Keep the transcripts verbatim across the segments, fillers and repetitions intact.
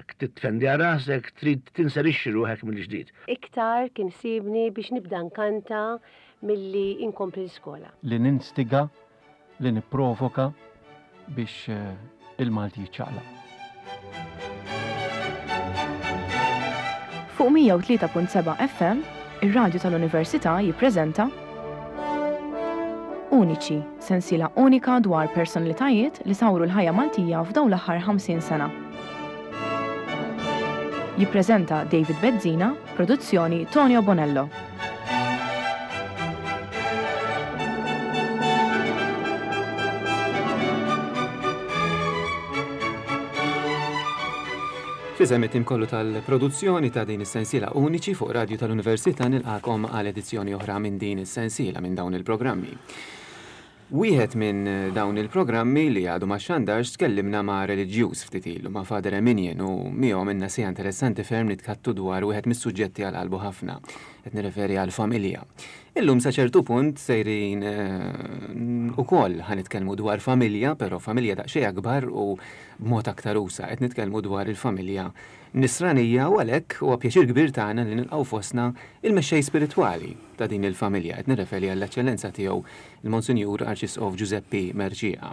Ruħek, titfendi għal rasek, trid tinserixxi ruħek mill-ġdid. Iktar kien sibni biex nibda nkanta milli inkompli l-iskola. Li ninstiga, li nipprovoka biex eh, il-Malti jiċċaqlaq. Fuq mija u tlieta punt seba' F M, ir-radju tal-Università jippreżenta Uniċi, sensiela unika dwar personalitajiet li sawru l-ħajja Maltija f'dawn l-aħħar ħamsin sena. Jippreżenta David Bezzina, produzzjoni Tonio Bonello. F'isem it-tim kollu tal-produzzjoni ta' din is-sensiela Uniċi fuq Radio tal-Università, nilqakom għal edizzjoni oħra minn din is-sensiela, minn dawn il-programmi. Wieħed minn dawn il-programmi li għadu ma xandarx, tkellimna ma' reliġjuż ftit ilu, ma' Father Eminian, u miegħu għamilna siegħa interessanti ferm nitħaddtu dwar wieħed mis-suġġetti għal qalbu ħafna. Qed nirreferi għal familja. Illum sa ċertu punt sejrin eh, ukoll ħa nitkellmu dwar familja, però familja daqsxejn akbar u b'mod aktar usa'. Qed nitkellmu dwar il-familja nisranija u għalhekk huwa pjaċir kbir tagħna li nilqgħu fostna il-mexxej spiritwali ta' din il-familja. Qed nirreferi għall-eċċellenza tiegħu, il-Monsinjur Arċisqof Giuseppe Mercieca.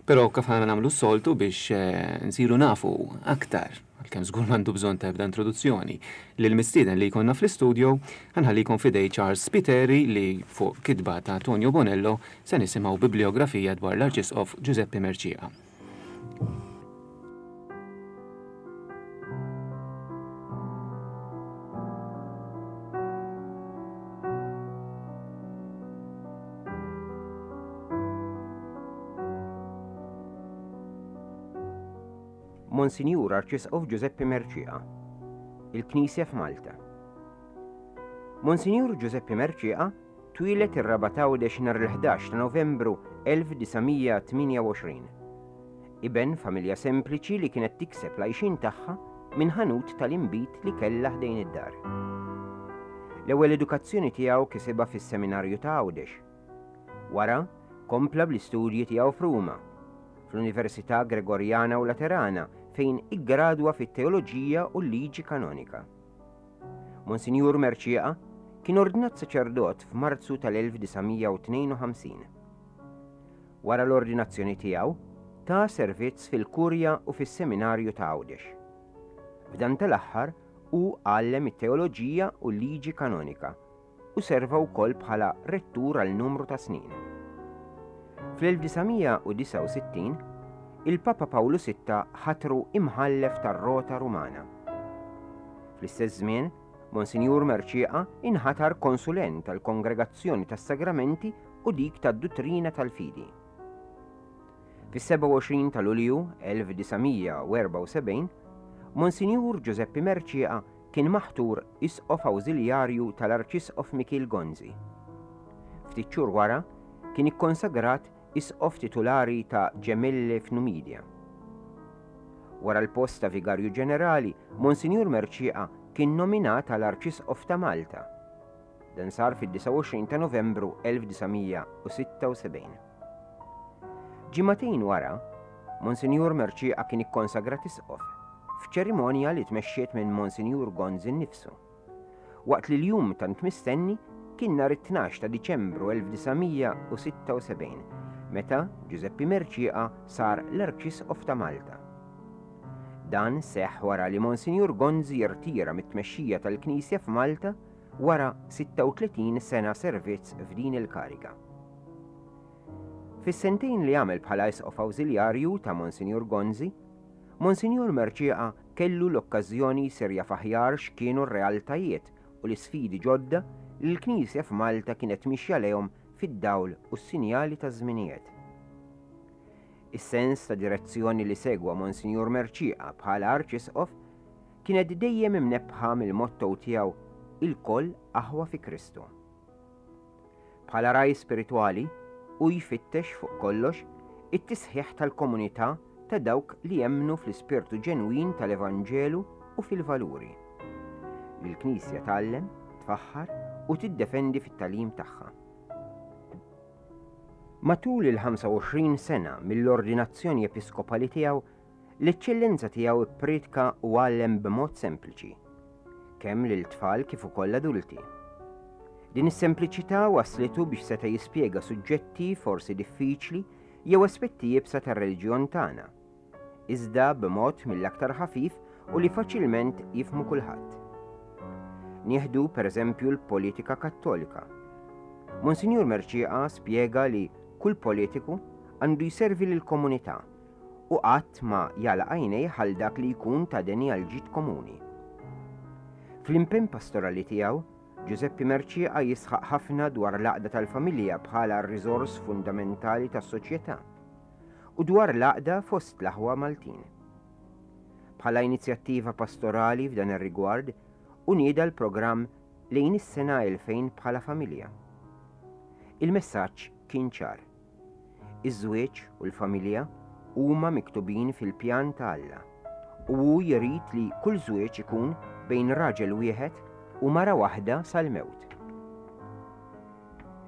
Però kif aħna nagħmlu s-soltu, biex eh, nsiru nafu aktar, għalkemm żgur m'għandu bżonn ta' ebda introduzzjoni, lil mistieden li jkollna fl-istudio, ħa nħallikom f'idejn Charles Spiteri li fuq kitba ta' Tonio Bonello se nisimgħu bibliografija dwar l-Arċisqof Giuseppe Mercieca. Monsinjur Arċisqof Giuseppe Mercieca, il-Knisja f'Malta. Monsinjur Giuseppe Mercieca twieled ir-Rabat Għawdex nhar il-ħdax ta' Novembru elf disa' mija tmienja u għoxrin. Iben familja sempliċi li kienet tikseb l-għajxien tagħha minn ħanut tal-inbid li kellha ħdejn id-dar. L-ewwel edukazzjoni tiegħu kisibha fis-seminarju ta' Għawdex. Wara kompla bl-istudji tiegħu f'Ruma, fl-Università Gregoriana u Laterana, fejn iggradwa fit-teoloġija u l-liġi kanonika. Monsinjur Mercieca kien ordnat saċerdot f'Marzu tal-elf disa' mija tnejn u ħamsin. Wara l-ordinazzjoni tiegħu, ta servizz fil-Kurja u fis-Seminarju ta' Għawdex. F'dan tal-aħħar hu għallem it-teoloġija u l-liġi kanonika u serva wkoll bħala rettur għal numru ta' snin. Fl-elf disa' mija disgħa u sittin il-Papa Pawlu Sitta ħatru imħallef tar-Rota Rumana. Fl-istess żmien, Monsinjur Mercieca inħatar konsulent tal-Kongregazzjoni tas-Sagramenti u dik tad-Duttrina tal-Fidi. Fis-sebgħa u għoxrin ta' Lulju elf disa' mija erbgħa u sebgħin, Monsinjur Giuseppe Mercieca kien maħtur isqof awżiljarju tal-Arċisqof Mikiel Gonzi. Ftit xhur wara kien ikkonsagrat isqof titulari ta' Gemellae f'Numidia. Wara l-post ta' vigarju ġenerali, Monsinjur Mercieca kien nominat għal Arċisqof ta' Malta. Dan sar fid-disgħa u għoxrin ta' Novembru elf disa' mija sitta u sebgħin. Ġimagħtejn wara, Monsinjur Mercieca kien ikkonsagrat isqof f'ċerimonja li tmexxiet minn Monsinjur Gonzi nnifsu. Waqt li l-jum tant mistenni kien nhar it-tnax ta' Diċembru elf disa' mija sitta u sebgħin, meta Giuseppe Mercieca sar l-Arċisqof ta' Malta. Dan seħ wara li Monsinjur Gonzi jirtira mit-tmexxija tal-Knisja f'Malta wara sitta u tletin sena servizz f'din il-kariga. Fis-sentejn li għamel bħala isqof awżiljarju ta' Monsinjur Gonzi, Monsinjur Mercieca kellu l-okkażjoni jsir jaf aħjar x'kienu r-realtajiet u l-isfidi ġodda li l-Knisja f'Malta kienet mixja lejhom fid-dawl u s-sinjali ta' żminijiet. Is-sens ta' direzzjoni li segwa Monsinjur Mercieca bħala Arċisqof kienet dejjem imnebbħa mill-motto tiegħu "Ilkoll aħwa fi Kristu". Bħala ragħaj spiritwali, hu jfittex fuq kollox it-tisħiħ tal-komunità ta' dawk li jemmnu fl-ispirtu ġenwin tal-Evanġelu u fil-valuri li l-Knisja tgħallem, tfaħħar u tiddefendi fit-tagħlim tagħha. Matul il-ħamsa u għoxrin sena mill-ordinazzjoni episkopali tiegħu, l-Eċċellenza tiegħu ppriedka u għallem b'mod sempliċi, kemm lil tfal kif ukoll adulti. Din is-sempliċità waslitu biex seta' jispjega suġġetti forsi diffiċli jew aspetti iebsa tar-reliġjon tagħna, iżda b'mod mill-aktar ħafif u li faċilment jifhmu kulħadd. Nieħdu pereżempju l-politika Kattolika. Monsinjur Mercieca spjega li kull politiku għandu jservi lill-komunità u qatt ma jagħlaq għajnejh għal dak li jkun ta' deni għal ġid komuni. Fl-impenn pastorali tiegħu, Giuseppe Mercieca jisħaq ħafna dwar l-għaqda tal-familja bħala r-riżors fundamentali tas-soċjetà u dwar l-għaqda fost l-aħwa Maltin. Bħala inizjattiva pastorali f'dan ir-rigward, u nieda l-programm lejn is-sena elfejn bħala familja. Il-messaġġ kien ċar. Iż-żwieġ u l-familja huma miktubin fil-pjan ta' Alla u hu jrid li kull żwieġ ikun bejn raġel wieħed u mara waħda sal-mewt.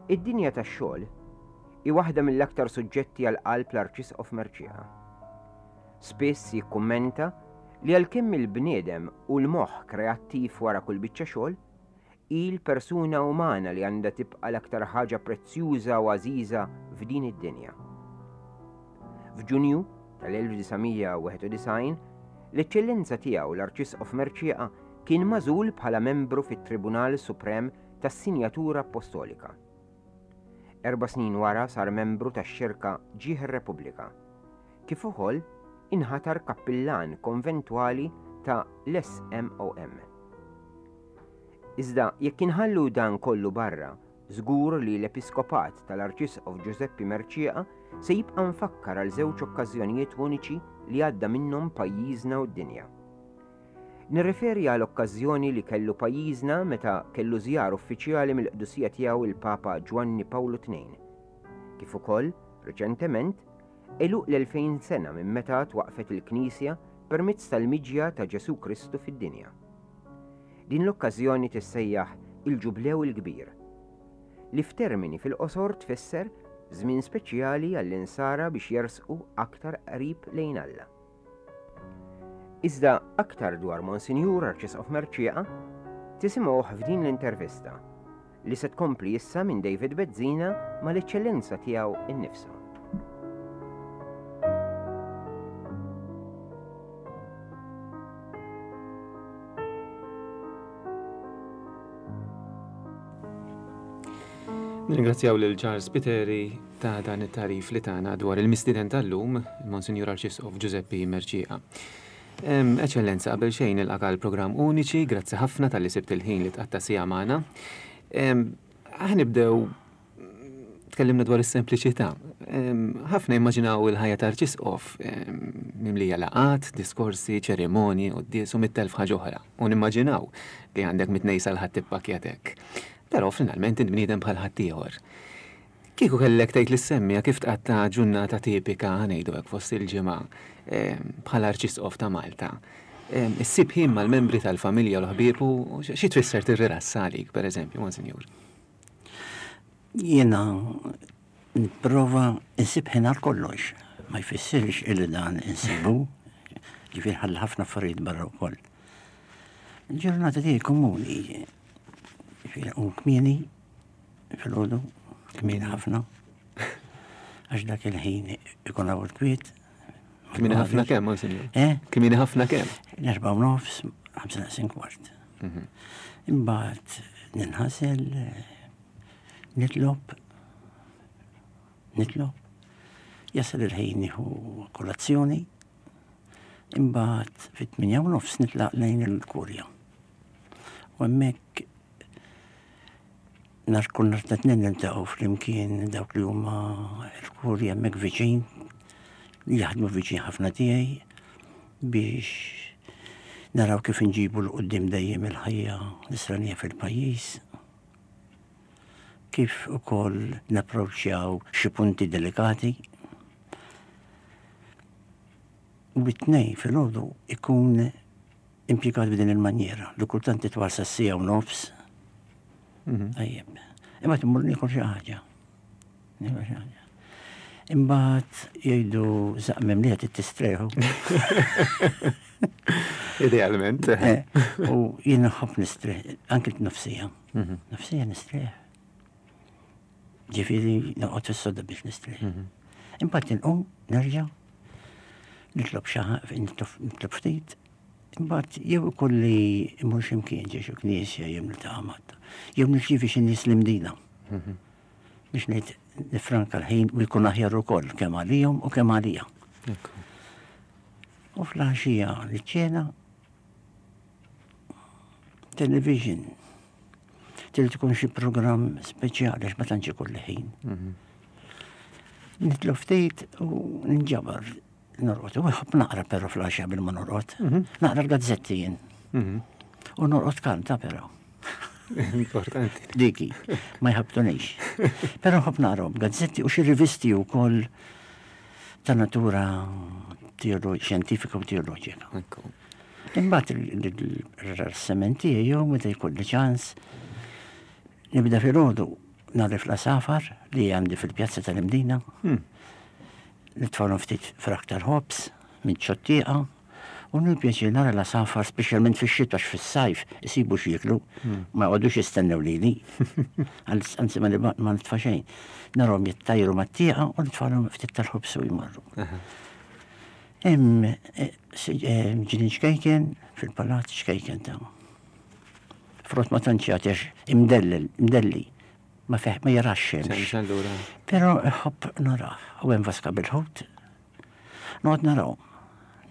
Id-dinja tax-xogħol hi waħda mill-aktar suġġetti għal qalb l-Arċisqof Mercieca. Spiss jikkummenta li għalkemm il-bniedem u l-moħħ kreattiv wara kull biċċa xogħol, hi l-persuna umana li għandha tibqa' l-aktar ħaġa prezzjuża u għażiża f'din id-dinja. F'Ġunju tal-elf disa' mija u wieħed u disgħin, l-Eċċellenza tiegħu l-Arċisqof Mercieca kien magħżul bħala membru fit-Tribunal Suprem tas-Sinjatura Apostolika. Erba' snin wara sar membru tax-Xirka Ġieħ ir-Repubblika, kif ukoll inħatar kappillan konventwali ta' l-S M O M. Iżda jekk inħallu dan kollu barra, żgur li l-Episkopat tal-Arċisqof Giuseppe Mercieca se jibqa' mfakkar għal żewġ okkażjonijiet uniċi li għadda minnhom pajjiżna u d-dinja. Nirreferi għal okkażjoni li kellu pajjiżna meta kellu żjar uffiċjali mill-qdusija tiegħu il-Papa Ġwanni Pawlu tnejn. Kif ukoll, riċentement, għeluq l-elfejn sena minn meta twaqfet il-Knisja permezz tal-miġja ta' Ġesu Kristu fid-dinja. Din l-okkażjoni tissejjaħ il-Ġublew il-Kbir, li f'termini fil-qosor tfisser żmien speċjali għall-insara biex jersqu aktar qrib lejn Alla. Iżda aktar dwar Monsinjur Arċisqof Mercieca tisimgħuh f'din l-intervista li se tkompli issa minn David Bezzina mal-Eċċellenza tiegħu innifsu. Nirringrazzjaw lil Charles Spiteri ta' dan it-tarif li tana dwar il-mistieden tal-lum, il-Monsinjur Arċisqof Giuseppe Mercieca. Em, Eċċellenza, qabel xejn nilqak għal programm uniċi, grazzi ħafna tal-li sibt il-ħin li tqatta' siegħa magħna. Em, aħna nibdew tkellimna dwar is-sempliċità. Em, ħafna immaġinaw il-ħajja ta' Arċisqof, em, mimlija laqat, diskorsi, ċerimonji, quddies u mitt elf ħaġa oħra. U nimmaġinaw li għandek mitnej sal-ħadd tippakkjatek. Però finalment int bniedem bħal ħaddieħor. Kieku kellek tgħid lis-semmija kif tqatta' ġurnata tipika ngħidu hekk fost il-ġimgħa, em, bħala Arċisqof ta' Malta. Em, issib ħin mal-membri tal-familja u l-ħbieb u xi tfisser tirrilassa għalik, pereżempju, Monsinjur? Jiena nipprova nsib ħin għal kollox. Ma jfissirx illi dan insibu, ġifieri ħalli ħafna affarijiet barra wkoll. Il-ġurnata tiegħi komuni, ġifieri u kmieni filgħodu, kmieni ħafna, għax dak il-ħin ikun hawn il-kwiet. Kmieni ħafna kemm, Monsinjur? Eh? Kmieni ħafna kemm? L-erbgħa u nofs, ħamsa naqsin kwart. Mhm. Imbagħad ninħasel, nitlob, nitlob, jasal il-ħin nieħu kolazzjoni, imbagħad fit-tmienja u nofs nitlaq lejn il-kurja. U hemmhekk nar kull nhar ta' tnejn niltaqgħu flimkien dawk li huma l-kurja hemmhekk viċin, li jaħdmu viċin ħafna tiegħi biex naraw kif inġibu 'l quddiem dejjem il-ħajja nisranija fil-pajjiż, kif ukoll napproċċjaw xi punti delikati. U bit-tnejn filgħodu ikun impjegat b'din il-manjera li kultant titwal sa siegħa u nofs. Mhm. Tajjeb. Imma timmur niekol xi ħaġa. Niekol xi ħaġa. Imbagħad jgħidu żaqq li qed tistrieħu. Idealment. Eh, u jien nħobb nistrieħ, anke nofsija. Mhm. Nofsija nistrieħ. Ġifieri noqgħod fis-sodda biex nistrieħ. Mhm. Imbagħad inqum, nerġa' nitlob xi nitlob ftit. Imbagħad jew ikolli immur x'imkien ġie xi knisja jew niltaqa' mat. Jew nirċievi xi nies l-Imdina. Mhm. Biex ngħid nifranka l-ħin u jkun aħjar ukoll kemm għalihom u kemm għalija. Ekku. U fl-għaxija niċċena television. Trid tkun xi programm speċjali għax ma tantx ikolli ħin. Mhm. Nitlob ftit u ninġabar norqod. U nħobb naqra però fl-għaxija bil ma norqod. Naqra l-gazzetti jien. Mhm. U norqod kanta però. Importanti. Diki, ma jħabtunix. Però nħobb naqra gazzetti u xi rivisti wkoll ta' natura teolo- xjentifika u teoloġika. Ekku. Imbagħad il-rassementi tiegħi jew meta jkolli ċans nibda filgħodu nagħrif l-għasafar li għandi fil-pjazza tal-Imdina. Hmm. Nitfalhom ftit frak tal-ħobż minn ċottieqa u nil-pjaċir nara l-għasafar speċjalment fix-xitwa għax fis-sajf isibu x'jieklu ma jqogħdux jistennew lili. Anzi ma nibqa- ma nitfa' xejn. Narahom jittajru mat-tieqa u nitfalhom ftit tal-ħobż u jmorru. Hemm eh, si- eh, ġnien ċkejken fil-palazz ċkejken ta' Frott ma tantx jagħti għax imdellel, imdelli. Ma feħ ma jarax xemx. Xemx allura. Però ħobb narah, u hemm vaska bil-ħut. Noqgħod narahom,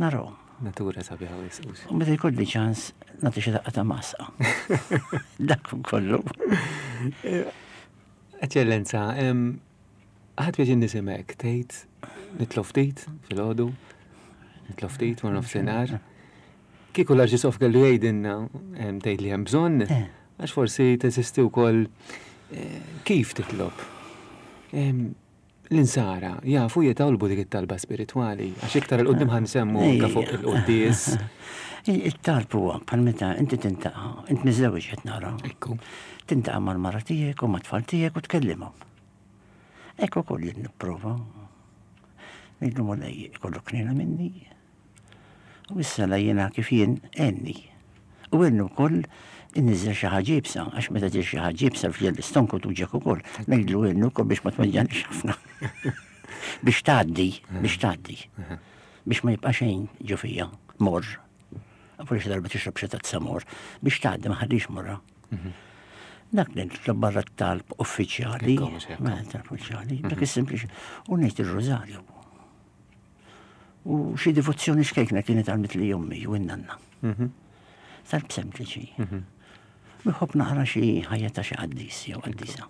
narahom. Natura sabiħa u jisqus. U meta jkolli ċans nagħti xi daqqa ta' masqa. Dak kollu. Eċċellenza, em, ħadt pjaċir nisimek, tgħid nitlob ftit filgħodu, nitlob ftit wara nofsinhar. Kieku l-Arċisqof kellu jgħidilna em, tgħid li hemm bżonn, Eh. għax forsi teżisti wkoll eh, kif titlob. Em, L-insara jafu jitolbu dik it-talba spiritwali, għax iktar 'il quddiem ħa nsemmu anke fuq il-quddies. Il-talb huwa bħal meta inti tintaqa', int miżewġ qed nara. Ekku. Tintaqa' mal-mara tiegħek u mat-tfal tiegħek u tkellimhom. Hekk ukoll jien nipprova. Ngħidlu Mulej ikollok ħniena minni. U issa la jiena kif jien għenni. U għennu wkoll inniżel xi ħaġa iebsa, għax meta tiġi xi ħaġa iebsa fil l-istonku tuġek ukoll. Ngħidlu għennu wkoll biex ma tweġġanix ħafna. Biex tgħaddi, biex tgħaddi. Biex ma jibqa' xejn ġo fija, morr. Forsi xi darba tixrob xi tazza morr, biex tgħaddi ma ħallix morra. Dak li nitlob barra t-talb uffiċjali, Ekku, mhux hekk. ma talb uffiċjali, dak is-sempliċi, u ngħid ir-rożarju. U xi divozzjoni xkejkna kienet għalmet li ommi u n-nanna. Mhm. Talb sempliċi. Nħobb naqra xi ħajja ta' xi qaddis jew qaddisa.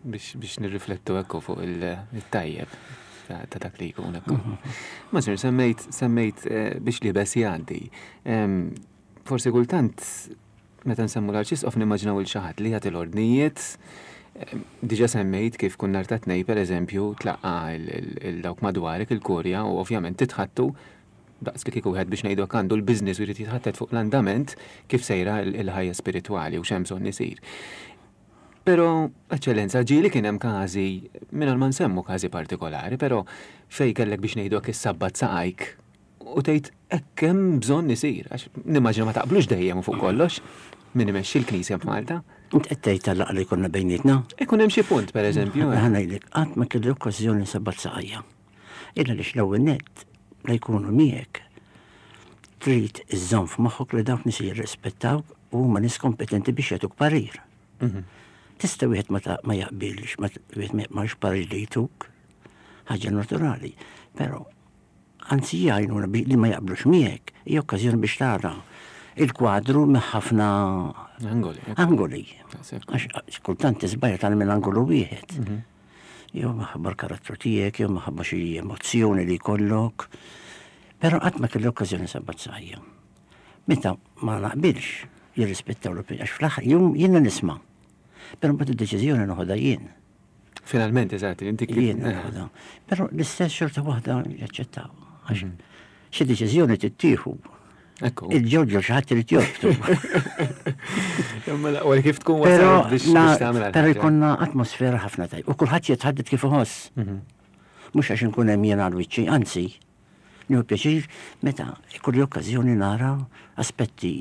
Biex, biex nirriflettu ekku fuq il- il-tajjeb ta' ta' dak li jkun ekku. Ma sir, semmejt, semmejt eh, biex li bes jgħaddi. Em, Forsi kultant, meta nsemmu l-arċisqof nimmaġinaw 'il xi ħadd li jagħti l-ordnijiet, em, diġà semmejt kif kun nhar ta' Tnejn, per eżempju, tlaqqa 'il dawk madwarek il-kurja u ovvjament titħattu daqs li kieku wieħed biex ngħidu hekk għandu l-business u jrid jitħattet fuq l-andament kif sejra il- il-ħajja spiritwali u x'hemm bżonn isir. Però, eċċellenza, ġieli kien hemm każi, mingħajr ma nsemmu każi partikolari, però fej kellek biex ngħidu hekk issabbat saqajk u tgħid hekk hemm bżonn isir, għax nimmaġina ma taqblux dejjem u fuq kollox min imexxi l-Knisja f'Malta. Int qed tgħid tal-laqgħa li konna bejnietna? Ikun hemm xi punt pereżempju. eh. Ħa ngħidlek, qatt ma kelli okkażjoni nsabbat saqajja. Illa li l-ewwel nett la jkunu miegħek trid iżżomm f'moħħok li dawk nies jirrispettawk u huma nies kompetenti biex jagħtuk parir. Mhm. Tista' wieħed ma ta- ma jaqbilx, ma wieħed ma jaqbilx parir li jtuk, ħaġa naturali, però anzi jgħinuna bi- li ma jaqblux miegħek, hija okkażjoni biex tara il-kwadru minn ħafna Angoli. ekku. angoli. Daqshekk. Għax kultant tiżbajja tal minn angolu wieħed. Jew minħabba l-karattru tiegħek, jew minħabba xi emozzjoni li jkollok. Però qatt ma kelli okkażjoni nsabbat saqajja. Meta ma naqbilx jirrispettaw l-opinjoni, għax fl-aħħar jum jiena nisma'. Però mbagħad id-deċiżjoni noħodha jien. Finalment, eżatt, inti kif. Jien eh, noħodha. Però l-istess xorta waħda jaċċettaw. Għax xi deċiżjoni tittieħu. Ekku. Il-ġoġo xi ħadd irid jorbtu. Imma l-aqwa kif tkun Però wasalt biex na- biex tagħmel però ħaġa. jkollna atmosfera ħafna tajba. U kulħadd jitħadded kif iħoss. Mhm. Mhux għax inkun hemm jien għal wiċċi, anzi, nieħu pjaċir meta ikolli okkażjoni nara aspetti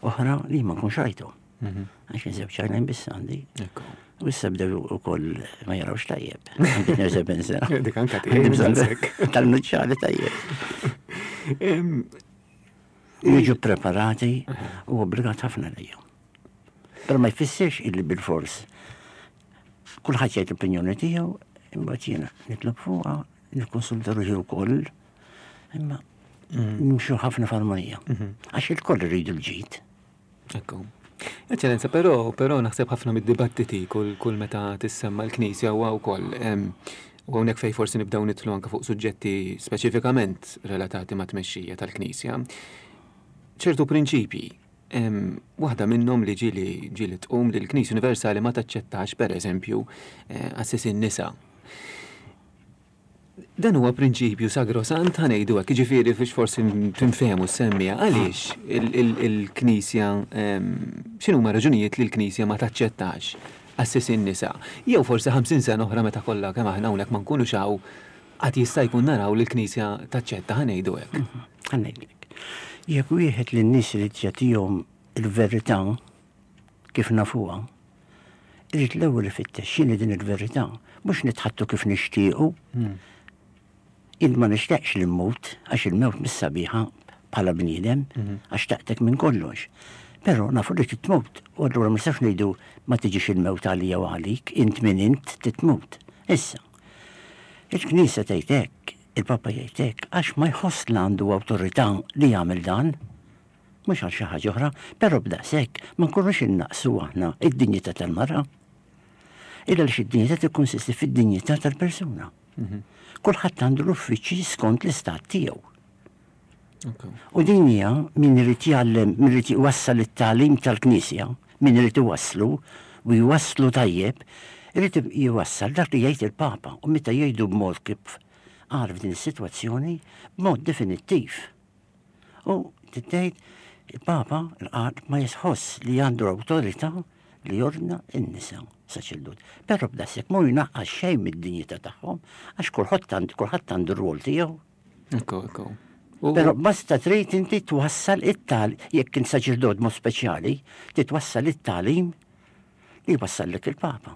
oħra li ma nkunx rajthom. Mhm. Għax żewġ għajnejn biss għandi. Ekku. U issa bdew ukoll ma jarawx tajjeb. Għandi tnejn u sebgħin sena. Dik anka tiegħi, Għandi bżonn daqshekk. tal-nuċċali tajjeb. Em, Jiġu preparati u obbligat ħafna lejhom. Però ma jfissirx illi bil-fors. Kulħadd jgħid l-opinjoni tiegħu, imbagħad jiena nitlob fuqha, nikkonsulta ruħi wkoll, imma nimxu ħafna f'armonija. Għax il-koll irridu l-ġid. Ekku. Eċċellenza, però, però naħseb ħafna mid-dibattiti kull, kull meta tissemma l-Knisja huwa wkoll em, u hawnhekk fejn forsi nibdew nidħlu anke fuq suġġetti speċifikament relatati ma' tmexxija tal-Knisja. Ċertu prinċipji, em, waħda minnhom li ġieli ġieli tqum li l-Knisja Universali ma taċċettax pereżempju eh, qassisin nisa. Dan huwa prinċipju sagrosant, ħa ngħidu hekk, jiġifieri biex forsi tinfehmu s-semmija, għaliex il-Knisja, x'inhuma raġunijiet li l-Knisja ma taċċettax qassisin nisa? Jew forsi ħamsin sena oħra meta kollha kemm aħna hawnhekk ma nkunux hawn, qatt jista' jkun naraw li l-Knisja taċċetta, ħa ngħidu hekk. Ħa ngħidlek. Jekk wieħed lin-nies irid jagħtihom il-verità kif nafuha, irid l-ewwel ifittex x'inhi din il-verità, mhux nitħaddtu kif nixtiequ. Jien ma nixtieqx li mmut, għax il-mewt mhix sabiħa bħala bniedem, għax taqtek minn kollox. Però nafu li titmut, u allura ma nistax ngħidu ma tiġix il-mewt għalija u għalik, int min int titmut. Issa, il-Knisja tgħid hekk, il-Papa jgħid hekk, għax ma jħoss li għandu awtorità li jagħmel dan, mhux għal xi ħaġa oħra, però b'daqshekk ma nkunux innaqsu aħna id-dinjità tal-mara. Illa li id-dinjità tikkonsisti fid-dinjità tal-persuna. Kulħadd għandu l-uffiċċji skont l-istat tiegħu. U din hija min irid jgħallem, min irid jwassal it-tagħlim tal-Knisja, min irid iwasslu u jwasslu tajjeb, irid jwassal dak li jgħid il-Papa u meta jgħidu b'mod kif qal f'din is-sitwazzjoni b'mod definittiv. U tgħid il-Papa l-qal ma jisħoss li għandu l-awtorità li jordna n-nisa saċerdot. Però b'daqshekk mhu jnaqqas xejn mid-dinjità tagħhom għax kulħadd għandu kulħadd għandu r-rwol tiegħu. Ekku, ekku. U- Però basta trid inti twassal it-tal, jekk int saċerdot mod speċjali, titwassal it-tagħlim li jwassallek il-Papa.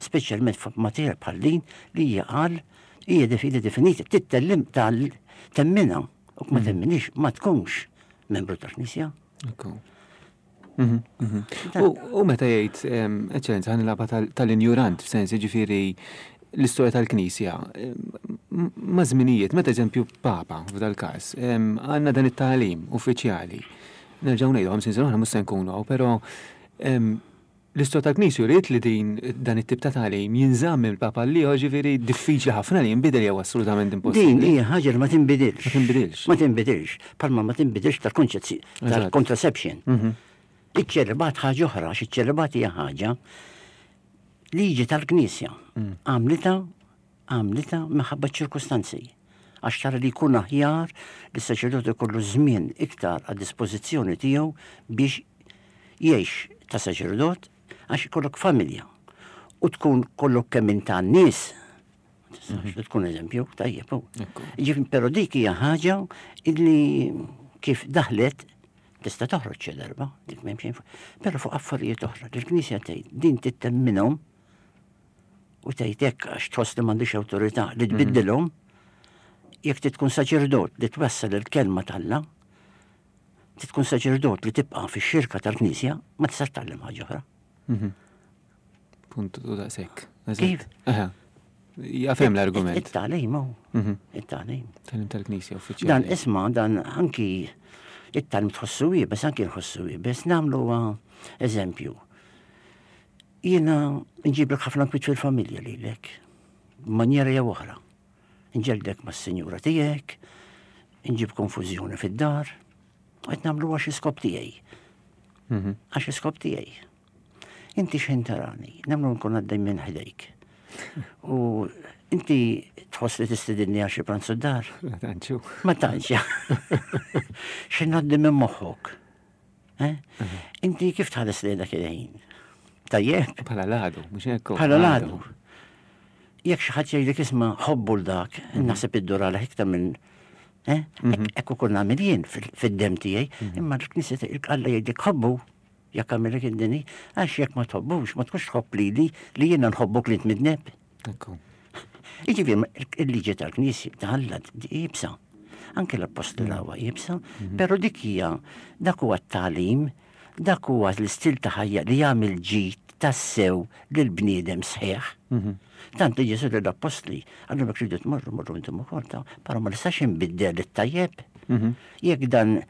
Speċjalment f'materja bħal din li hija qal hija definita definita, tittellim tal temmina u ma temminix ma tkunx membru tal-Knisja. Ekku. Mhm, mhm. U u meta jgħid, em, eċċellenza, ħa nilgħabha tal- tal-injurant, f'sens jiġifieri l-istorja tal-Knisja, em, ma' żminijiet, meta eżempju Papa f'dal-każ, em, għandna dan it-tagħlim uffiċjali. Nerġgħu ngħidu ħamsin sena oħra mhux se nkunu hawn, però em, l-istorja tal-Knisja jrid li din dan it-tip ta' tagħlim jinżamm mill-Papa li ġifieri diffiċli ħafna li jinbidel jew assolutament Din impossibbli. hija ħaġa li ma tinbidilx. Ma tinbidilx. Ma tinbidilx. Palma ma tinbidilx tal-konċezzi- Eżatt. tal-contraception. Mhm. Iċ-ċelibat ħaġa oħra, għax iċ-ċelibat hija ħaġa liġi tal-Knisja. Għamlita, għamlita minħabba ċirkustanzi. Għax tara li jkun aħjar li s-saċerdot ikollu żmien iktar għad dispożizzjoni tiegħu biex jgħix ta' saċerdot għax ikollok familja u tkun kollok kemm int tan-nies. Tistax tkun eżempju tajjeb. hu. Ekku. Ġifieri, però dik hija ħaġa illi kif daħlet tista' toħroġ xi darba, dik m'hemm xejn fuq. Però fuq affarijiet oħra, li l-Knisja tgħid din tittemminhom u tgħid hekk għax tħoss li m'għandix awtorità li tbiddilhom, jekk trid tkun saċerdot li twassal il-kelma t'Alla, trid tkun saċerdot li tibqa' fix-xirka tal-Knisja, ma tistax tgħallem ħaġa oħra. Mhm. Punt u daqshekk. Eżatt. Kif? Aha. Jafhem l-argument. It-tagħlim hu. Mhm. It-tagħlim. Tagħlim tal-Knisja uffiċjali. Dan isma' dan anki it-tagħlim tħossu iebes, anki nħossu iebes, nagħmlu eżempju. Jiena nġiblek ħafna kwiet fil-familja lilek, b'manjera jew oħra. Nġeldek mas-sinjura tiegħek, nġib konfużjoni fid-dar, qed nagħmlu għax iskop tiegħi. Mhm. Għax iskop tiegħi. Inti xejn tarani, nagħmlu nkun għaddej minn ħdejk. U inti tħoss li tistedinni għal xi pranzu d-dar? Ma tantx. Ma tantx. X'in għaddi minn moħħok? Eh? Inti kif tħares li dak il-ħin? Tajjeb? Bħala l-għadu, mhux hekk. Bħala l-għadu. Jekk xi ħadd jgħidlek isma' ħobbu 'l dak, naħseb iddur għalih iktar minn eh? Hekk ukoll nagħmel jien fid-dem tiegħi, imma l-Knisja Alla jgħidlek ħobbu jekk għamilek id-dini, għax jekk ma tħobbux, ma tkunx tħobb lili li jiena nħobbok li tmidneb. Jiġifieri il-liġi tal-Knisja ta' Alla iebsa. Anke l-appostoli huwa iebsa, però dik hija dak huwa t-tagħlim, dak huwa l-istil ta' ħajja li jagħmel ġid tassew lil bniedem sħiħ. Tant li Ġesù l-appostli għallhom jekk tridu tmorru morru intom ukoll ta' però ma nistax inbiddel it-tajjeb. Jekk dan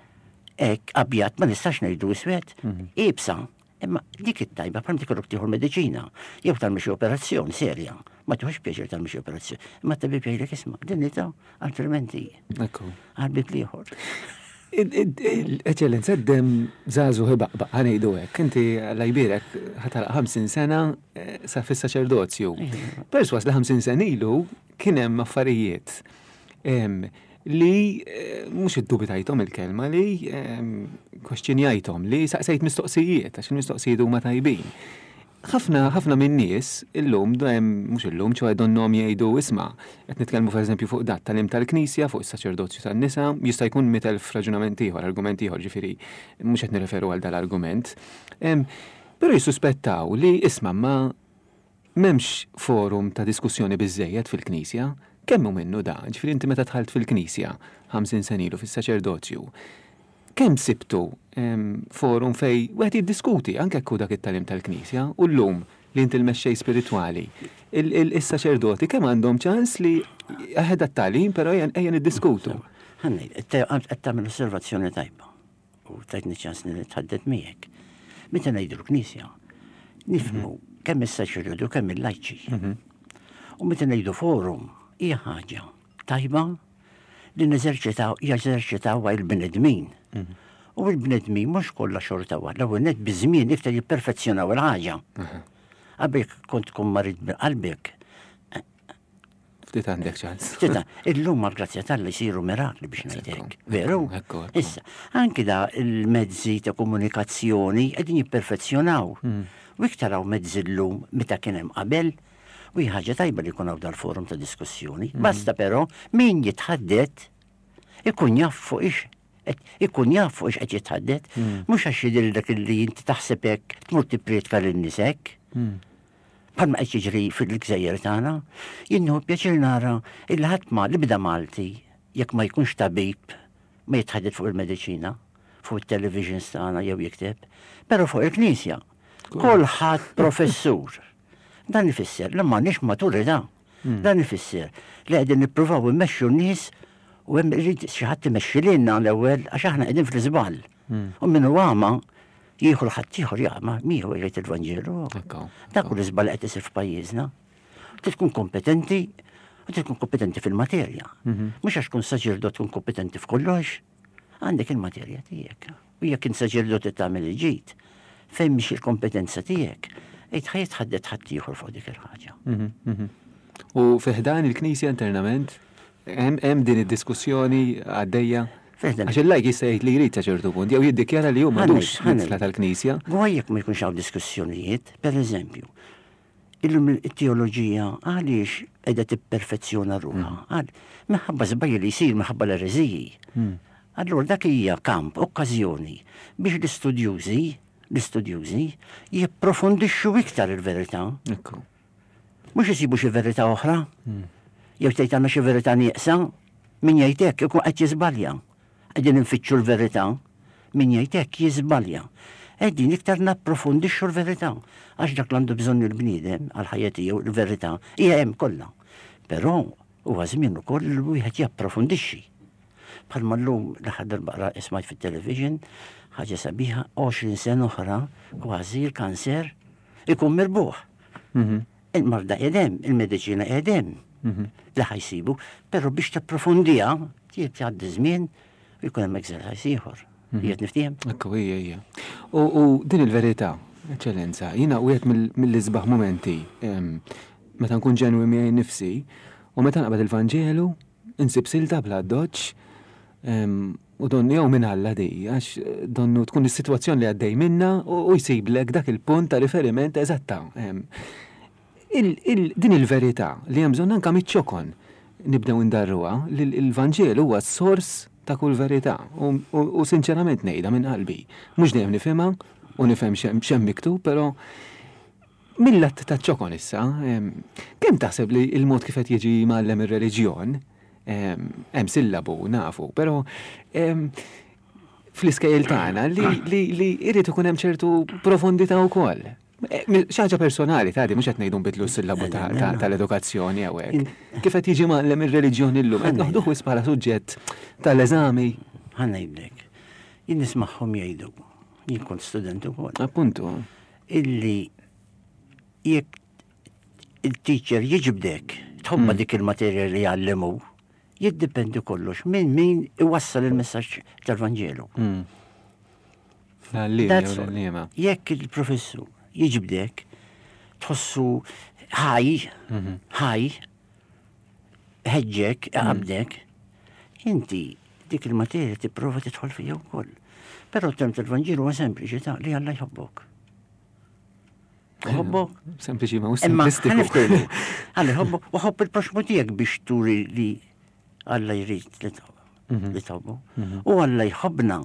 hekk abjad ma nistax ngħidu iswed, iebsa. Imma dik it-tajba bħal tikollok tieħu l-mediċina, jew tagħmel xi operazzjoni serja. Ma tieħux pjaċir tagħmel xi operazzjoni. Imma t-tabib jgħidlek isma' din ta' altrimenti. Ekku. Għal-bib l-ieħor. Eċċellenza, d-dem żagħżugħ ibaqbaq, ħa ngħidu hekk. Inti Alla jbierek ħa tagħlaq ħamsin sena eh, sa fis-saċerdozju. Perswas li ħamsin sena ilu kien hemm affarijiet em, li eh, mhux iddubitajthom il-kelma li em, kwestjonjajthom, li saqsejt mistoqsijiet, għax il-mistoqsijiet huma tajbin. Ħafna ħafna minn nies illum dejjem mhux illum ċoè donnhom jgħidu isma' qed nitkellmu pereżempju fuq dat tal tal-Knisja, fuq is-saċerdozju tan-nisa, jista' jkun mitt elf raġunament ieħor, argument ieħor, ġifieri mhux qed nirreferu għal dal-argument. Em, Però jissuspettaw li isma' ma m'hemmx forum ta' diskussjoni biżejjed fil-Knisja. Kemm hu minnu da? Ġifieri inti meta dħalt fil-Knisja ħamsin sena ilu fis-saċerdozju, kemm sibtu em, forum fej wieħed jiddiskuti anke jekk hu dak it-tagħlim tal-Knisja u llum li inti l-mexxej spiritwali, il-saċerdoti kemm għandhom ċans li aħed t-tagħlim però ejja ejja niddiskutu. Ħa ngħid, qed tagħmel osservazzjoni tajba u tajtni ċans li nitħaddet miegħek. Meta ngħidu l-Knisja, nifhmu kemm is-saċerdoti u kemm il-lajċi. U meta ngħidu forum, hija ħaġa tajba li neżerċitaw jeżerċitaw il-bnedmin. U il-bnedmin mhux kollha xorta waħda, l-ewwel net biż-żmien iktar jipperfezzjonaw il-ħaġa. Qabel kont tkun marid bil-qalbek, Ftit għandek ċans. Tita, illum mal-grazzja t'Alla jsiru mirakli biex ngħidlek. Veru? Ekku, ekku. Issa, anki da il-mezzi ta' komunikazzjoni qegħdin jipperfezzjonaw. U iktar hawn mezzi llum meta kien hemm qabel, u hija ħaġa tajba li jkun hawn dal-forum ta' diskussjoni. Basta però min jitħaddet ikun jaf fuq ix ikun jaf fuq ix qed jitħaddet, mhux għax jidher dak li inti taħseb hekk tmur tipprietka lin-nies hekk. Bħalma qed jiġri fil-gżejjer tagħna, jien nieħu pjaċir nara illi ħadd ma li bda Malti jekk ma jkunx tabib ma jitħaddet fuq il-mediċina, fuq il-televisions tagħna jew jikteb, però fuq il-Knisja. Kulħadd professur. Dan ifisser li m'għandniex maturità. Dan ifisser li qegħdin nippruvaw immexxu n-nies u hemm irid xi ħadd imexxi lilna l-ewwel għax aħna qegħdin fl-iżball. U min hu għama jieħu l-ħadd ieħor jagħma miegħu jgħid il-Vanġelu. Ekku. Dak hu l-iżball qed isir f'pajjiżna. Trid tkun kompetenti u trid tkun kompetenti fil-materja. Mhux għax tkun saċerdot tkun kompetenti f'kollox. Għandek il-materja tiegħek. U jekk int saċerdot tagħmel il-ġid, fejn mhix il-kompetenza tiegħek, ejt ħa jitħaddet ħadd ieħor fuq dik il-ħaġa. Mhm, mhm. U fi ħdan il-Knisja internament, hemm hemm din id-diskussjoni għaddejja. Fi ħdan- Għax il-lajk jista' jgħid li jrid sa ċertu punt, jew jiddikjara li hu m'għadux Ħa ngħid, ħa ngħid. midħla tal-Knisja. Gwaj jekk ma jkunx hawn diskussjonijiet, per eżempju, illum it-teoloġija għaliex qiegħda tipperfezzjona ruħha? Għal minħabba żbalji li jsir minħabba l-ereżiji. Allura dak hija kamp, okkażjoni biex l-istudjużi, l-istudjużi jipprofondixxu iktar il-verità. Ekku. Mhux isibu xi verità oħra. Jew tgħid għandna xi verità nieqsa, min jgħid hekk ikun qed jiżbalja. Qegħdin infittxu l-verità, min jgħid hekk jiżbalja. Qegħdin iktar napprofondixxu l-verità għax dak li għandu bżonn il-bniedem għal ħajja tiegħu il-verità hija hemm kollha. Però huwa żmien ukoll li wieħed japprofondixxi. Bħalma llum l-aħħar darba qra smajt fit-television ħaġa sabiħa għoxrin sena oħra kważi l-kanser ikun mirbuħ. Il-marda edem, il-mediċina edem, li ħa jsibu, però biex tapprofondiha, trid tgħaddi żmien u jkun hemm exercise ieħor. Jiet niftiehem? Ekku, hija, hija. U, u din il-verità, eċċellenza, jiena wieħed mill- mill-isbaħ momenti em, meta nkun ġenwi miegħi nnifsi u meta naqbad il-Vanġelu, insib silta bla doċ, u donni jew minn Alla di, għax eh, donnu tkun is-sitwazzjoni li għaddej minna u, u jsiblek dak il-punt ta' riferiment eżatta. Em, Din il-verità li hemm bżonn anke miċ-ċokon nibdew indarruha li l-Vanġelu huwa s-sors ta' kull verità u sinċerament ngħidha minn qalbi. Mhux dejjem nifhimha u nifhem x'hemm miktub, però mill-att ta' ċokon issa, kemm taħseb li l-mod kif qed jiġi mgħallem ir-reliġjon, hemm sillabu nafu, però fl-iskejjel tagħna li li jrid ikun hemm ċertu profondità wkoll. Xi ħaġa personali ta' di mhux qed ngħidu nbidlu s-sillabu tal-edukazzjoni hawnhekk. Kif qed jiġi mgħallem ir-reliġjon illum, qed noħduh wisq bħala suġġett tal-eżami. Ħa ngħidlek. Jien nismagħhom jgħidu, jien kont student ukoll. Appuntu. Illi jekk il-teacher jiġbdek, tħobba dik il-materja li jgħallimu, jiddependi kollox minn min iwassal il-messaġġ tal-Vanġelu. Jekk il-professur jiġbdek, tħossu ħaj, ħaj, ħeġġek, qabdek, inti dik il-materja tipprova tidħol fija wkoll. Però t-tem tal-Vanġelu huwa sempliċi ta' li Alla jħobbok. Jħobbok. Sempliċi ma simplistiku. Alla jħobbok u ħobb il-proxmu tiegħek biex turi li Alla jrid li tħobbu. U Alla jħobbna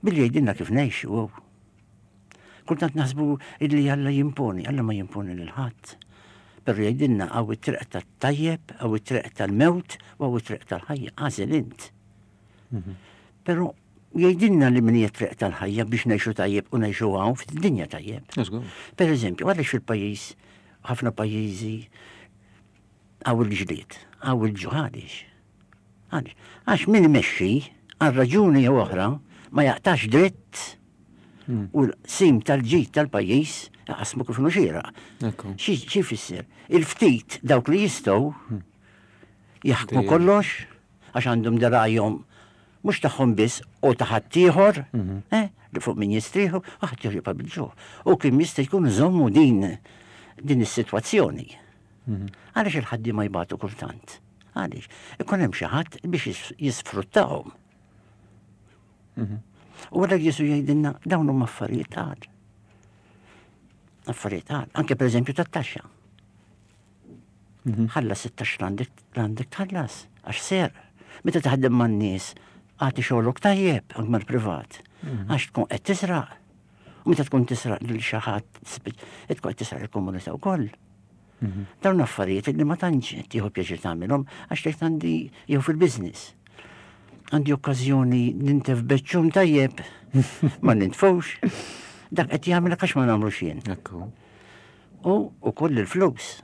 billi jgħidilna kif ngħixu. Kultant naħsbu illi Alla jimponi, Alla ma jimponi lil ħadd. Però jgħidilna hawn it-triq tat-tajjeb, hawn it-triq tal-mewt u hawn it-triq tal-ħajja, għażel int. Però jgħidilna li min hija triq tal-ħajja biex ngħixu tajjeb u ngħixu hawn fid-dinja tajjeb. Per eżempju, għaliex fil-pajjiż, ħafna pajjiżi hawn il-ġlied, hawn il-ġuħ għaliex. Għaliex? Għax min imexxi għal raġuni jew oħra ma jaqtax dritt u l-sim tal-ġid tal-pajjiż jaqasmu kif inhu xieraq. Xi jfisser? Il-ftit dawk li jistgħu jaħkmu kollox għax għandhom dirajhom mhux tagħhom biss u ta' ħaddieħor, li fuq min jistrieħu, u ħaddieħor jibqa' bil-ġuħ. U kien jista' jkun żommu din din is-sitwazzjoni. Għaliex il-ħaddiema jbatu kultant? Għaliex? Ikun hemm xi ħadd biex jisfruttahom. U għalhekk Ġesù jgħidilna dawn huma affarijiet għal. Affarijiet għal, anke pereżempju tat-taxxa. Ħallas it-taxxa l-għandek tħallas, għax ser. Meta taħdem man-nies, għati xogħolok tajjeb anke mal-privat, għax tkun qed tisraq. U meta tkun tisraq lil xi ħadd, tkun qed tisraq il-komunità wkoll. Dawn affarijiet li ma tantx tieħu pjaċir tagħmilhom għax tgħid għandi jew fil-business. Għandi okkażjoni nintef beċċum tajjeb, ma nintfux. Dak qed jagħmel għax ma nagħmlux jien. U ukoll il-flus.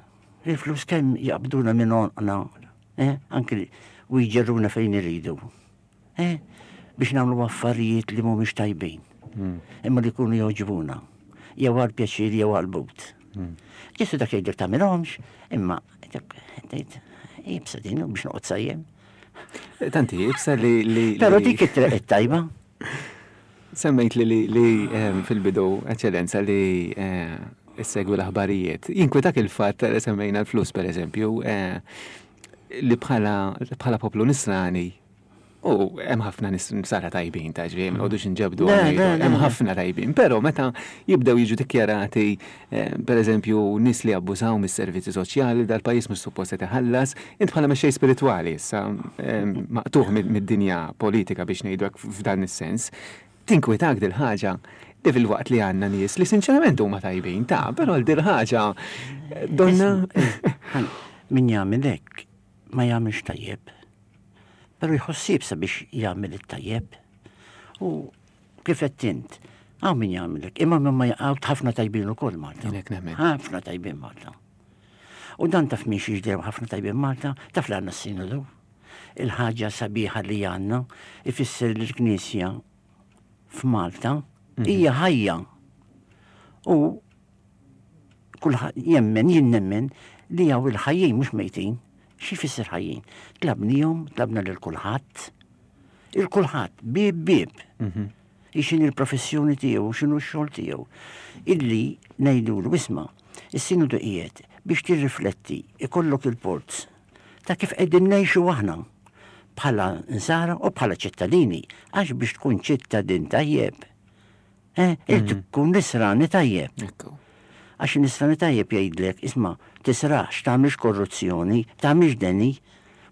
Il-flus kemm jaqbduna minn għonqna, eh, anke u jġerruna fejn iridu. Eh, biex nagħmlu affarijiet li mhumiex tajbin. Imma li jkunu jogħġbuna. Jew għal pjaċir jew għal but. Ġesu dak jgħidlek tagħmilhomx, imma tgħid jibsa din biex noqgħod sajjem. Tanti jibsa li li Però dik it-triq it-tajba. Semmejt li li fil-bidu, eċċellenza, li issegwi l-aħbarijiet. Jinkwetak il-fatt li semmejna l-flus pereżempju, li bħala poplu nisrani u hemm ħafna nisara tajbin ta' ġifieri, ma nqogħdux inġebdu hemm ħafna tajbin, però meta jibdew jiġu dikjarati pereżempju nies li abbużaw mis-servizzi soċjali dal-pajjiż mhux suppost qed iħallas, int bħala mexxej spiritwali issa maqtuħ mid-dinja politika biex ngħidu hekk f'dan is-sens, tinkwetak dil-ħaġa li fil-waqt li għandna nies li sinċerament huma tajbin ta' però l dil-ħaġa donna min jagħmel hekk ma jagħmilx tajjeb. Però jħossib sabiex jagħmel it-tajjeb. U kif qed int, hawn min jagħmel hekk, imma min ma jaqgħu ħafna tajbin ukoll Malta. Ħafna tajbin Malta. U dan taf min xi ġdew ħafna tajbin Malta, taf li għandna s-sinodu. Il-ħaġa sabiħa li għandna ifisser li l-Knisja f'Malta hija ħajja. U kulħadd jemmen, jien nemmen li hawn il-ħajjin mhux mejtin. Xi jfisser ħajjin? Tlabnihom, tlabna lil kulħadd. Il-kulħadd, bieb bieb. X'inhi l-professjoni tiegħu, x'inhu x-xogħol tiegħu. Illi ngħidulu isma' is-sinodu qiegħed biex tirrifletti ikollok il-port ta' kif qegħdin ngħixu aħna bħala nsara u bħala ċittadini, għax biex tkun ċittadin tajjeb, eh, irid tkun nisrani tajjeb. Għax nisrani tajjeb jgħidlek, isma' Tisraqx, tagħmilx korruzzjoni, tagħmilx deni,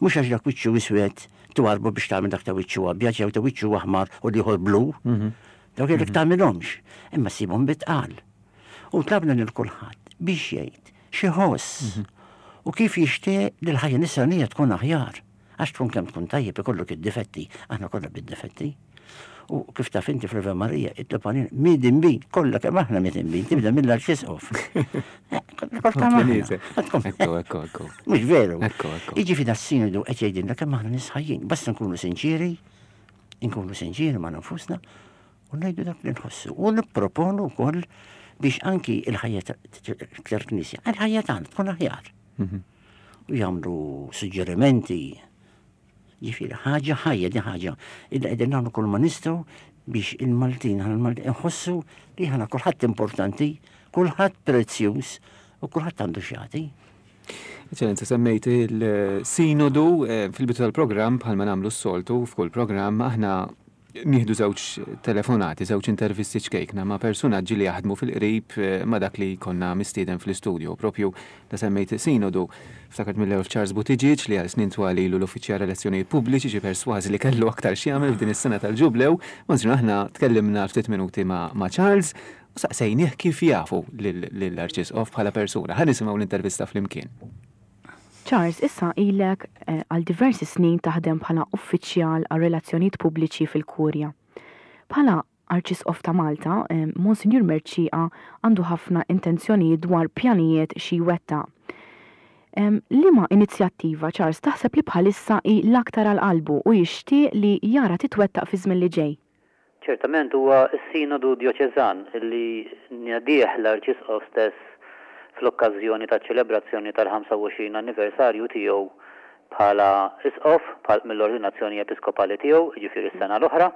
mhux għax dak wiċċu iswed twarbu biex tagħmel dak ta' wiċċu abjad jew ta' wiċċu aħmar u l-ieħor blu. Mhm. Dawk jgħidlek mhm. tagħmilhomx, imma ssibhom bitqal. U tlabna lil kulħadd biex jgħid x'iħoss mhm. u kif jixtieq li l-ħajja nisranija tkun aħjar. Għax tkun kemm tkun tajjeb ikollok id-difetti, aħna kollha bid-difetti. U kif taf inti fl-Ave Marija, itlob għalina, midinbin, kollha kemm aħna midinbin, tibda mill-arċisqof. Ekku, ekku, ekku. Mhux veru. Ekku, ekku. Jiġifieri das-sinodu qed jgħidilna kemm aħna nies ħajjin, basta nkunu sinċieri, nkunu sinċieri ma' nfusna u ngħidu dak li nħossu. U nipproponu wkoll biex anki il-ħajja tal-Knisja, il-ħajja tagħna tkun aħjar. Mhm. U jagħmlu suġġerimenti. Ġifieri ħaġa ħajja di ħaġa illi qegħdin nagħmlu kull ma nistgħu biex il-Maltin aħna l-Maltin inħossu li aħna kulħadd importanti, kulħadd prezzjuż u kulħadd għandu x'jagħti. Eċċellenza, semmejt il-sinodu eh, fil-bidu tal-programm bħalma nagħmlu s-soltu f'kull programm aħna nieħdu żewġ telefonati, żewġ intervisti ċkejkna ma' persunaġġi li jaħdmu fil-qrib eh, ma' dak li konna mistieden fl-istudio. Propju da semmejt sinodu, ftakart mill-ewwel Charles Buttigieg li għal snin twal ilu l-uffiċjal relazzjonijiet pubbliċi xi persważi li kellu aktar x'jagħmel f'din is-sena tal-ġublew. Monsinjur aħna tkellimna ftit minuti ma', ma Charles u saqsejnieh kif jafu lill-Arċisqof bħala persuna. Ħa nisimgħu l-intervista flimkien. Charles, issa ilek eh, għal diversi snin taħdem bħala uffiċjal għal relazzjonijiet pubbliċi fil-Kurja. Bħala Arċisqof ta' Malta, eh, Monsinjur Mercieca għandu ħafna intenzjonijiet dwar pjanijiet xi jwettaq. Liema inizjattiva, Charles, taħseb li bħalissa hi l-aktar għal qalbu u jixtieq li jara titwettaq fi żmien li ġej? Ċertament huwa s-Sinodu Djoċeżan li nedieh l-Arċisqof stess fl-okkażjoni taċ-ċelebrazzjoni tal-ħamsa u għoxrin anniversarju tiegħu bħala Isqof, bħal mill-ordinazzjoni episkopali tiegħu, jiġifieri s-sena l-oħra,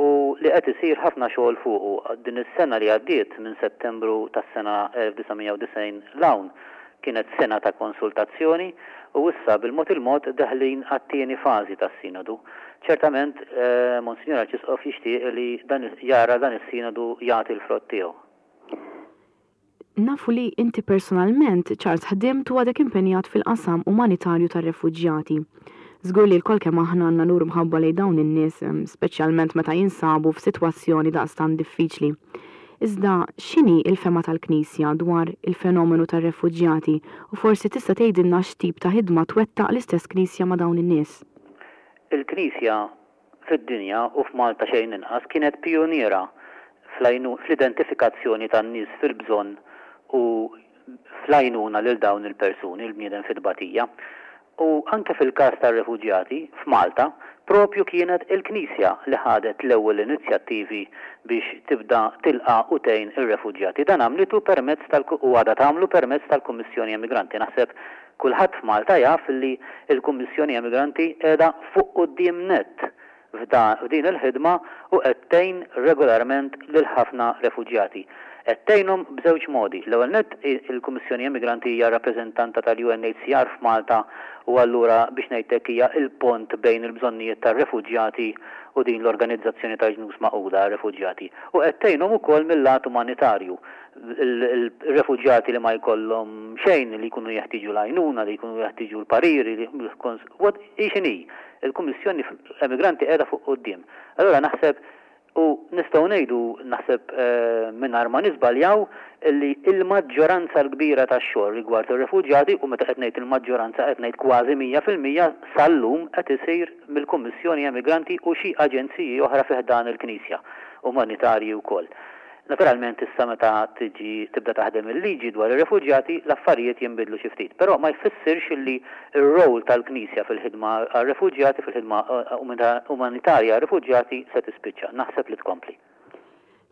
u li qed isir ħafna xogħol fuqu. Din is-sena li għaddiet, minn Settembru tas-sena elf disa' mija u disgħin 'l hawn, kienet sena ta' konsultazzjoni u issa bil-mod il-mod deħlin għat-tieni fażi tas-Sinodu. Ċertament, Monsinjur Arċisqof jixtieq li dan jara dan is-Sinodu jagħti l-frott tiegħu. Nafu li inti personalment, Charles, ħdimt u għadek impenjat fil-qasam umanitarju tar-refuġjati. Żgur li lkoll kemm aħna għandna nuru mħabba lejn dawn in-nies, speċjalment meta jinsabu f'sitwazzjoni daqstant diffiċli. Iżda x'inhi l-fehma tal-Knisja dwar il-fenomenu tar-refuġjati u forsi tista' tgħidilna x'tip ta' ħidma twettaq l-istess Knisja ma' dawn in-nies? Il-Knisja fid-dinja u f'Malta xejn inqas kienet pijuniera fl-identifikazzjoni tan-nies fil-bżonn u fl-għajnuna lil dawn il-persuni, il-bniedem fit-tbatija. U anke fil-każ tar-refuġjati, f'Malta, propju kienet il-Knisja li ħadet l-ewwel inizjattivi biex tibda tilqa' u tgħin ir-refuġjati. Dan għamlitu permezz tal u għadha tagħmlu permezz tal-Kummissjoni Emigranti. Naħseb kulħadd f'Malta jaf li l-Kummissjoni Emigranti qiegħda fuq quddiem nett f'din il-ħidma u qed tgħin regolarment lil ħafna refuġjati. Qed tgħinhom b'żewġ modi. L-ewwel nett, il-Kummissjoni Emigranti hija rappreżentanta tal-U N H C R f'Malta u allura biex ngħid hekk hija l-pont bejn il-bżonnijiet tar-refuġjati u din l-organizzazzjoni tal-Ġnus Magħquda għar-Refuġjati. U qed tgħinhom ukoll mill-lat umanitarju. Il-refuġjati li ma jkollhom xejn, li jkunu jeħtieġu l-għajnuna, li jkunu jeħtieġu l-pariri, li what hi x'inhi, il-Kummissjoni Emigranti qiegħda fuq quddiem. Allura naħseb u nistgħu ngħidu naħseb, eh, mingħajr ma niżbaljaw li l-maġġoranza l-kbira tax-xogħol rigward ir-refuġjati, u meta qed ngħid il-maġġoranza qed ngħid kważi mija fil-mija sal-lum qed isir mill-Kummissjoni Emigranti u xi aġenziji oħra fi ħdan il-Knisja, umanitarji wkoll. Naturalment issa meta tiġi tibda taħdem il-liġi dwar ir-refuġjati, l-affarijiet jinbidlu xi ftit, però ma jfissirx li r-rol tal-Knisja fil-ħidma għar-refuġjati, fil-ħidma, eh, umanitarja għar-refuġjati se tispiċċa. Naħseb li tkompli.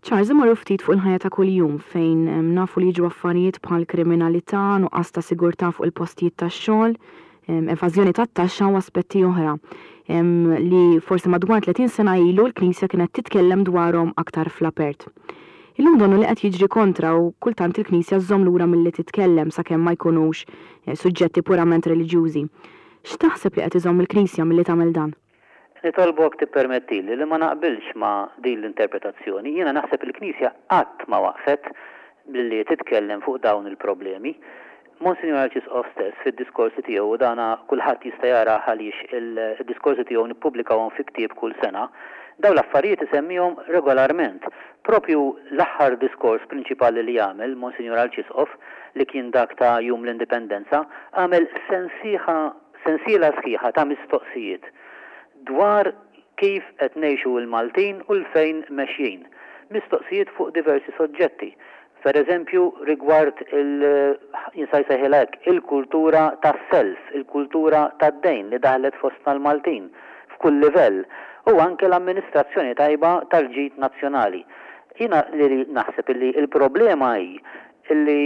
Charles, imorru ftit fuq il-ħajja ta' kuljum fejn, em, nafu li jiġu affarijiet bħal kriminalità, nuqqas ta' sigurtà fuq il-postijiet tax-xogħol, em, evażjoni tat-taxxa u aspetti oħra, em, li forsi madwar tletin sena ilu l-Knisja kienet titkellem dwarhom aktar fl-apert. Illum donnu li qed jiġri kontra u kultant il-Knisja żżomm lura milli titkellem sakemm ma jkunux, eh, suġġetti purament reliġjużi. X'taħseb li qed iżomm il-Knisja milli tagħmel dan? Nitolbok tippermettili li ma naqbilx ma' din l-interpretazzjoni. Jiena naħseb il-Knisja qatt ma waqfet billi titkellem fuq dawn il-problemi. Monsinjur Arċisqof stess fid-diskorsi tiegħu, u dana kulħadd jista' jara għaliex il-diskorsi tiegħu nippubblikawhom fi ktieb kull sena, dawn l-affarijiet isemmihom regolarment. Propju l-aħħar diskors prinċipali li għamel Monsinjur Arċisqof, li kien dak ta' Jum l-Indipendenza, għamel sensiħa sensiela sħiħa ta' mistoqsijiet dwar kif qed ngħixu l-Maltin u l-fejn mexjin. Mistoqsijiet fuq diversi soġġetti. Per eżempju, rigward il il-kultura tas-self, il-kultura tad-dejn li daħlet fostna l-Maltin f'kull livell, u anke l-amministrazzjoni tajba tal-ġid nazzjonali. Jiena li naħseb li il-problema hi li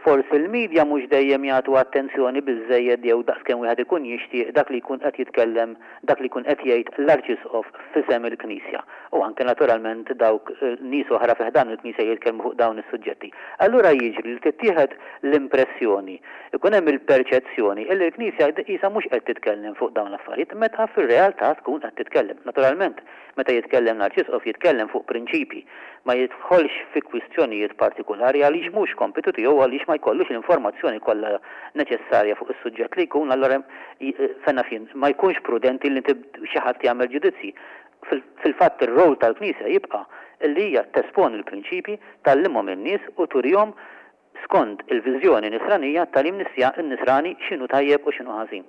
forsi l-medja mhux dejjem jagħtu attenzjoni biżżejjed jew daqskemm wieħed ikun jixtieq dak li jkun qed jitkellem, dak li jkun qed jgħid l-Arċisqof f'isem il-Knisja. U anke naturalment dawk nies oħra fi ħdan il-Knisja jitkellmu fuq dawn is-suġġetti. Allura jiġri li tittieħed l-impressjoni, ikun hemm il-perċezzjoni li l-Knisja qisha mhux qed titkellem fuq dawn l-affarijiet, meta fir-realtà tkun qed titkellem. Naturalment, meta jitkellem l-Arċisqof jitkellem fuq prinċipji, ma jidħolx fi kwistjonijiet partikolari għaliex mhux kompitu tiegħu, għaliex ma jkollux l-informazzjoni kollha neċessarja fuq is-suġġett li jkun, allura fenna fin ma jkunx prudenti li xi ħadd jagħmel ġudizzji. Fil-fatt ir-rol tal-Knisja jibqa' li hija tesponi l-prinċipji, tgħallimhom in-nies u turihom skont il-viżjoni nisranija tal-im nisrani x'inhu tajjeb u x'inhu ħażin.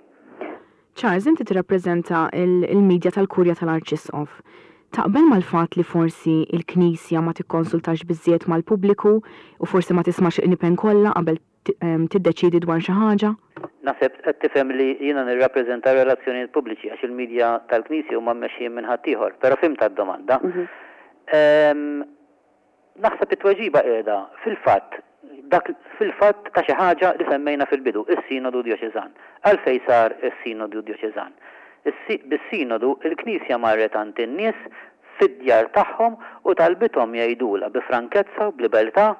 Charles, inti tirrappreżenta il-medja tal-Kurja tal-Arċisqof. Taqbel mal-fatt li forsi il-Knisja ma tikkonsultax biżżejjed mal-pubbliku u forsi ma tismax il-qniepen kollha qabel tiddeċiedi dwar xi ħaġa? Naħseb qed tifhem li jiena nirrappreżenta relazzjonijiet pubbliċi għax il-medja tal-Knisja huma mmexxijin minn ħaddieħor, però fhimt d-domanda. Naħseb it-tweġiba qiegħda fil-fatt dak fil-fatt ta' xi ħaġa li semmejna fil-bidu, is-Sinodu Djoċeżan. Għalfejn sar is-Sinodu Djoċeżan? Bis-sinodu il-Knisja marret għand in-nies fid-djar tagħhom u talbithom jgħidulha bi frankezza u b'libertà,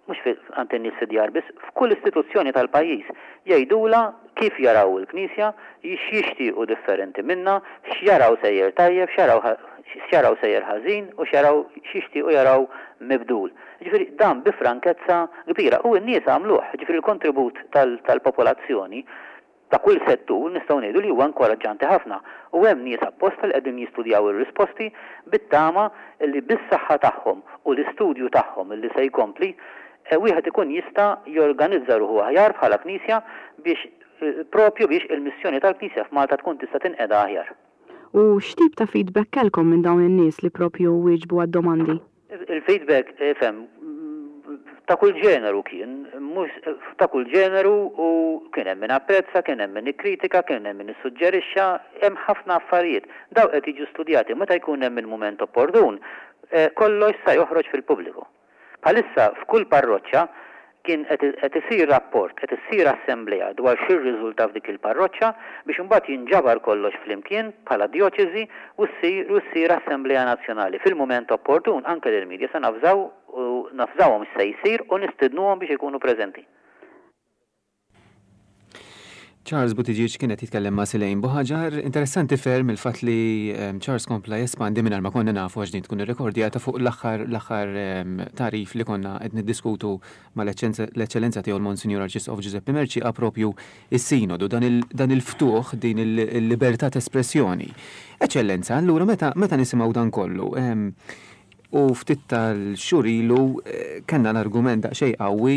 mhux għand in-nies fid-djar biss, f'kull istituzzjoni tal-pajjiż, jgħidulha kif jaraw il-Knisja, x'jixtiequ differenti minna, x'jaraw sejjer tajjeb, x'jaraw sejjer ħażin u x'jaraw x'jixtiequ jaraw mibdul. Ġifieri dan bi frankezza kbira u n-nies għamluh, ġifieri l-kontribut tal-popolazzjoni ta' kull settur nistgħu ngħidu li huwa inkoraġġanti ħafna u hemm nies apposta li qegħdin jistudjaw ir-risposti bit-tama li bis-saħħa tagħhom u l-istudju tagħhom li se jkompli wieħed ikun jista' jorganizza ruħu aħjar bħala Knisja biex propju biex il-missjoni tal-Knisja f'Malta tkun tista' tinqeda aħjar. U x'tip ta' feedback kellkom minn dawn in-nies li propju wieġbu għad-domandi? Il-feedback, fem, ta' kull ġeneru kien, mhux ta' kull ġeneru, u kien hemm min apprezza, kien hemm min ikkritika, kien hemm min issuġġerixxa, hemm ħafna affarijiet. Daw qed jiġu studjati meta jkun hemm il-mument opportun, kollox sa joħroġ fil-pubbliku. Bħalissa f'kull parroċċa kien qed isir rapport, qed issir assemblea dwar x'irriżulta f'dik il-parroċċa biex imbagħad jinġabar kollox flimkien bħala djoċesi u ssir u ssir assemblea nazzjonali. Fil-mument opportun anke lill-medja se nafżaw u nafżawhom x'se jsir u nistidnuhom biex ikunu preżenti. Charles Buttigieg kien qed jitkellem ma' Silejn Buħaġar. Interessanti ferm il-fatt li Charles kompla jespandi mingħajr ma konna nafu għax din tkun irrekordjata fuq l-aħħar l-aħħar tarif li konna qed niddiskutu mal-Eċċellenza tiegħu l-Monsinjur Arċisqof Giuseppe Mercieca propju is-sinodu, dan il-ftuħ, din il-libertà ta' espressjoni. Eċċellenza, allura meta meta nisimgħu dan kollu, u ftit tal-xhur ilu kellna l-argument daqsxejn qawwi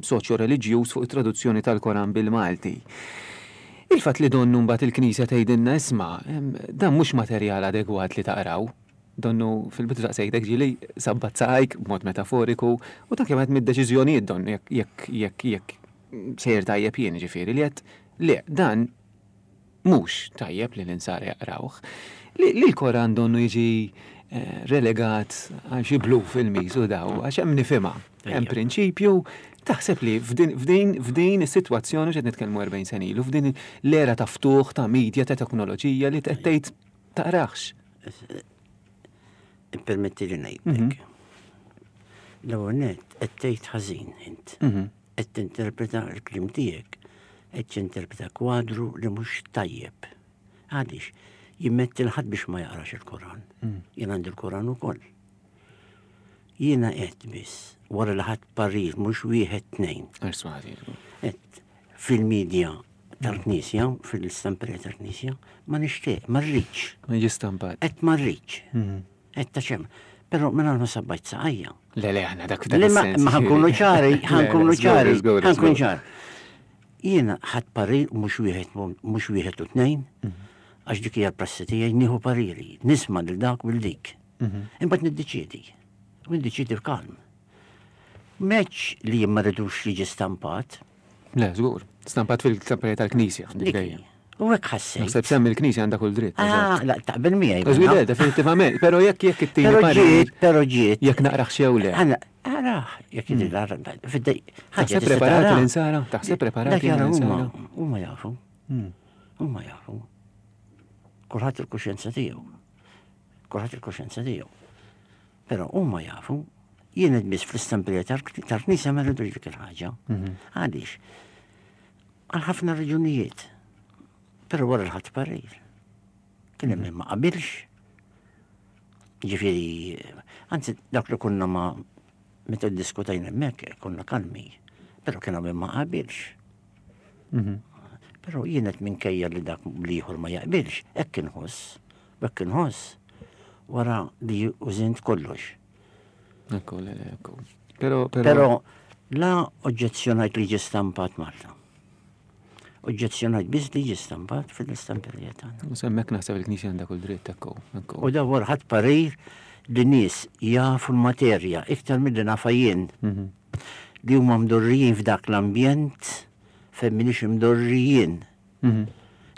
soċjo-reliġjuż fuq it-traduzzjoni tal-Koran bil-Malti. Il-fatt li donnu mbagħad il-Knisja tgħidilna isma' dan mhux materjal adegwat li taqraw. Donnu fil-bidu daqsejtek ġieli sabbat saqajk b'mod metaforiku u ta' kemm qed mid-deċiżjonijiet donnu jekk jekk jekk sejjer tajjeb jien ġifieri li qed le dan mhux tajjeb li l-insara jaqrawh. Li l-Koran donnu jiġi relegat għal xi blu fil-miż u daw, għax hemm nifhimha. Hemm prinċipju, taħseb li f'din f'din is-sitwazzjoni x'qed nitkellmu erbgħin sena ilu, f'din l-era ta' ftuħ, ta' media, ta' teknoloġija li qed tgħid taqrax. Ippermetti li ngħidlek. L-ewwel nett qed tgħid ħażin int. Qed tinterpreta l-kliem tiegħek, qed tinterpreta kwadru li mhux tajjeb. Għaliex? Jimmetti l-ħadd biex ma jaqrax il-Koran. Jien għandi l-Koran ukoll. Jiena qed biss wara li ħadt parir mhux wieħed tnejn. Qed fil-medja tal-Knisja, fil-istamperija tal-Knisja, ma nixtieq, ma rridx. Ma jiġi stampat. Qed ma rridx. Mhm. Qed ta' xem. Però minn ma sabbajt saqajja. Le, le, aħna dak f'dak Ma ħa nkunu ċari, ħa nkunu ċari, ħa nkunu ċari. Jiena ħadt parir mhux wieħed mhux wieħed u tnejn, mhm. għax dik hija l-prassi tiegħi nieħu pariri, nisma' lil dak u dik. Mhm. Imbagħad niddeċiedi. U niddeċiedi f'kalm. Meċ li ma rridux jiġi stampat. Le, żgur. Stampat fil-stamperija tal-Knisja. U hekk ħassejt. Naħseb semmi l-Knisja għandha kull dritt. Ah, la, taqbel miegħi. Żgur, le, definitivament. Però jekk jekk it-tieni Però ġiet, però ġiet. Jekk naqraħ xew le. Araħ, jekk jidri l Fid-dej. Taħseb preparati l-insara? Taħseb preparati l-insara? Huma jafu. Hmm. Huma jafu. Kulħadd il-kuxjenza tiegħu. Kulħadd il-kuxjenza tiegħu. Però huma jafu jien biss fl-istamperija tal-Knisja ma rridux dik il-ħaġa. Mhm. Għaliex? Għal ħafna raġunijiet. Però wara l-ħadd parir. Kien hemm ma qabilx. Ġifieri, anzi dak li konna ma meta diskutajna hemmhekk konna kalmi, però kien hemm ma qabilx. Mhm. Però jien qed minkejja li dak l-ieħor ma jaqbilx, hekk inħoss, hekk inħoss wara li użint kollox. Ekku, le, le, ekku. Però, però la oġġezzjonajt li ġie stampat Malta. Oġġezzjonajt biss li ġie stampat fil-istamperija tagħna. U semmek naħseb il-Knisja għandha kull dritt ekku. U da wara ħadd parir li nies jafu l-materja iktar milli nafa jien. Mhm. Li huma mdorrijin f'dak l-ambjent fejn m'iniex imdorrijin. Mhm.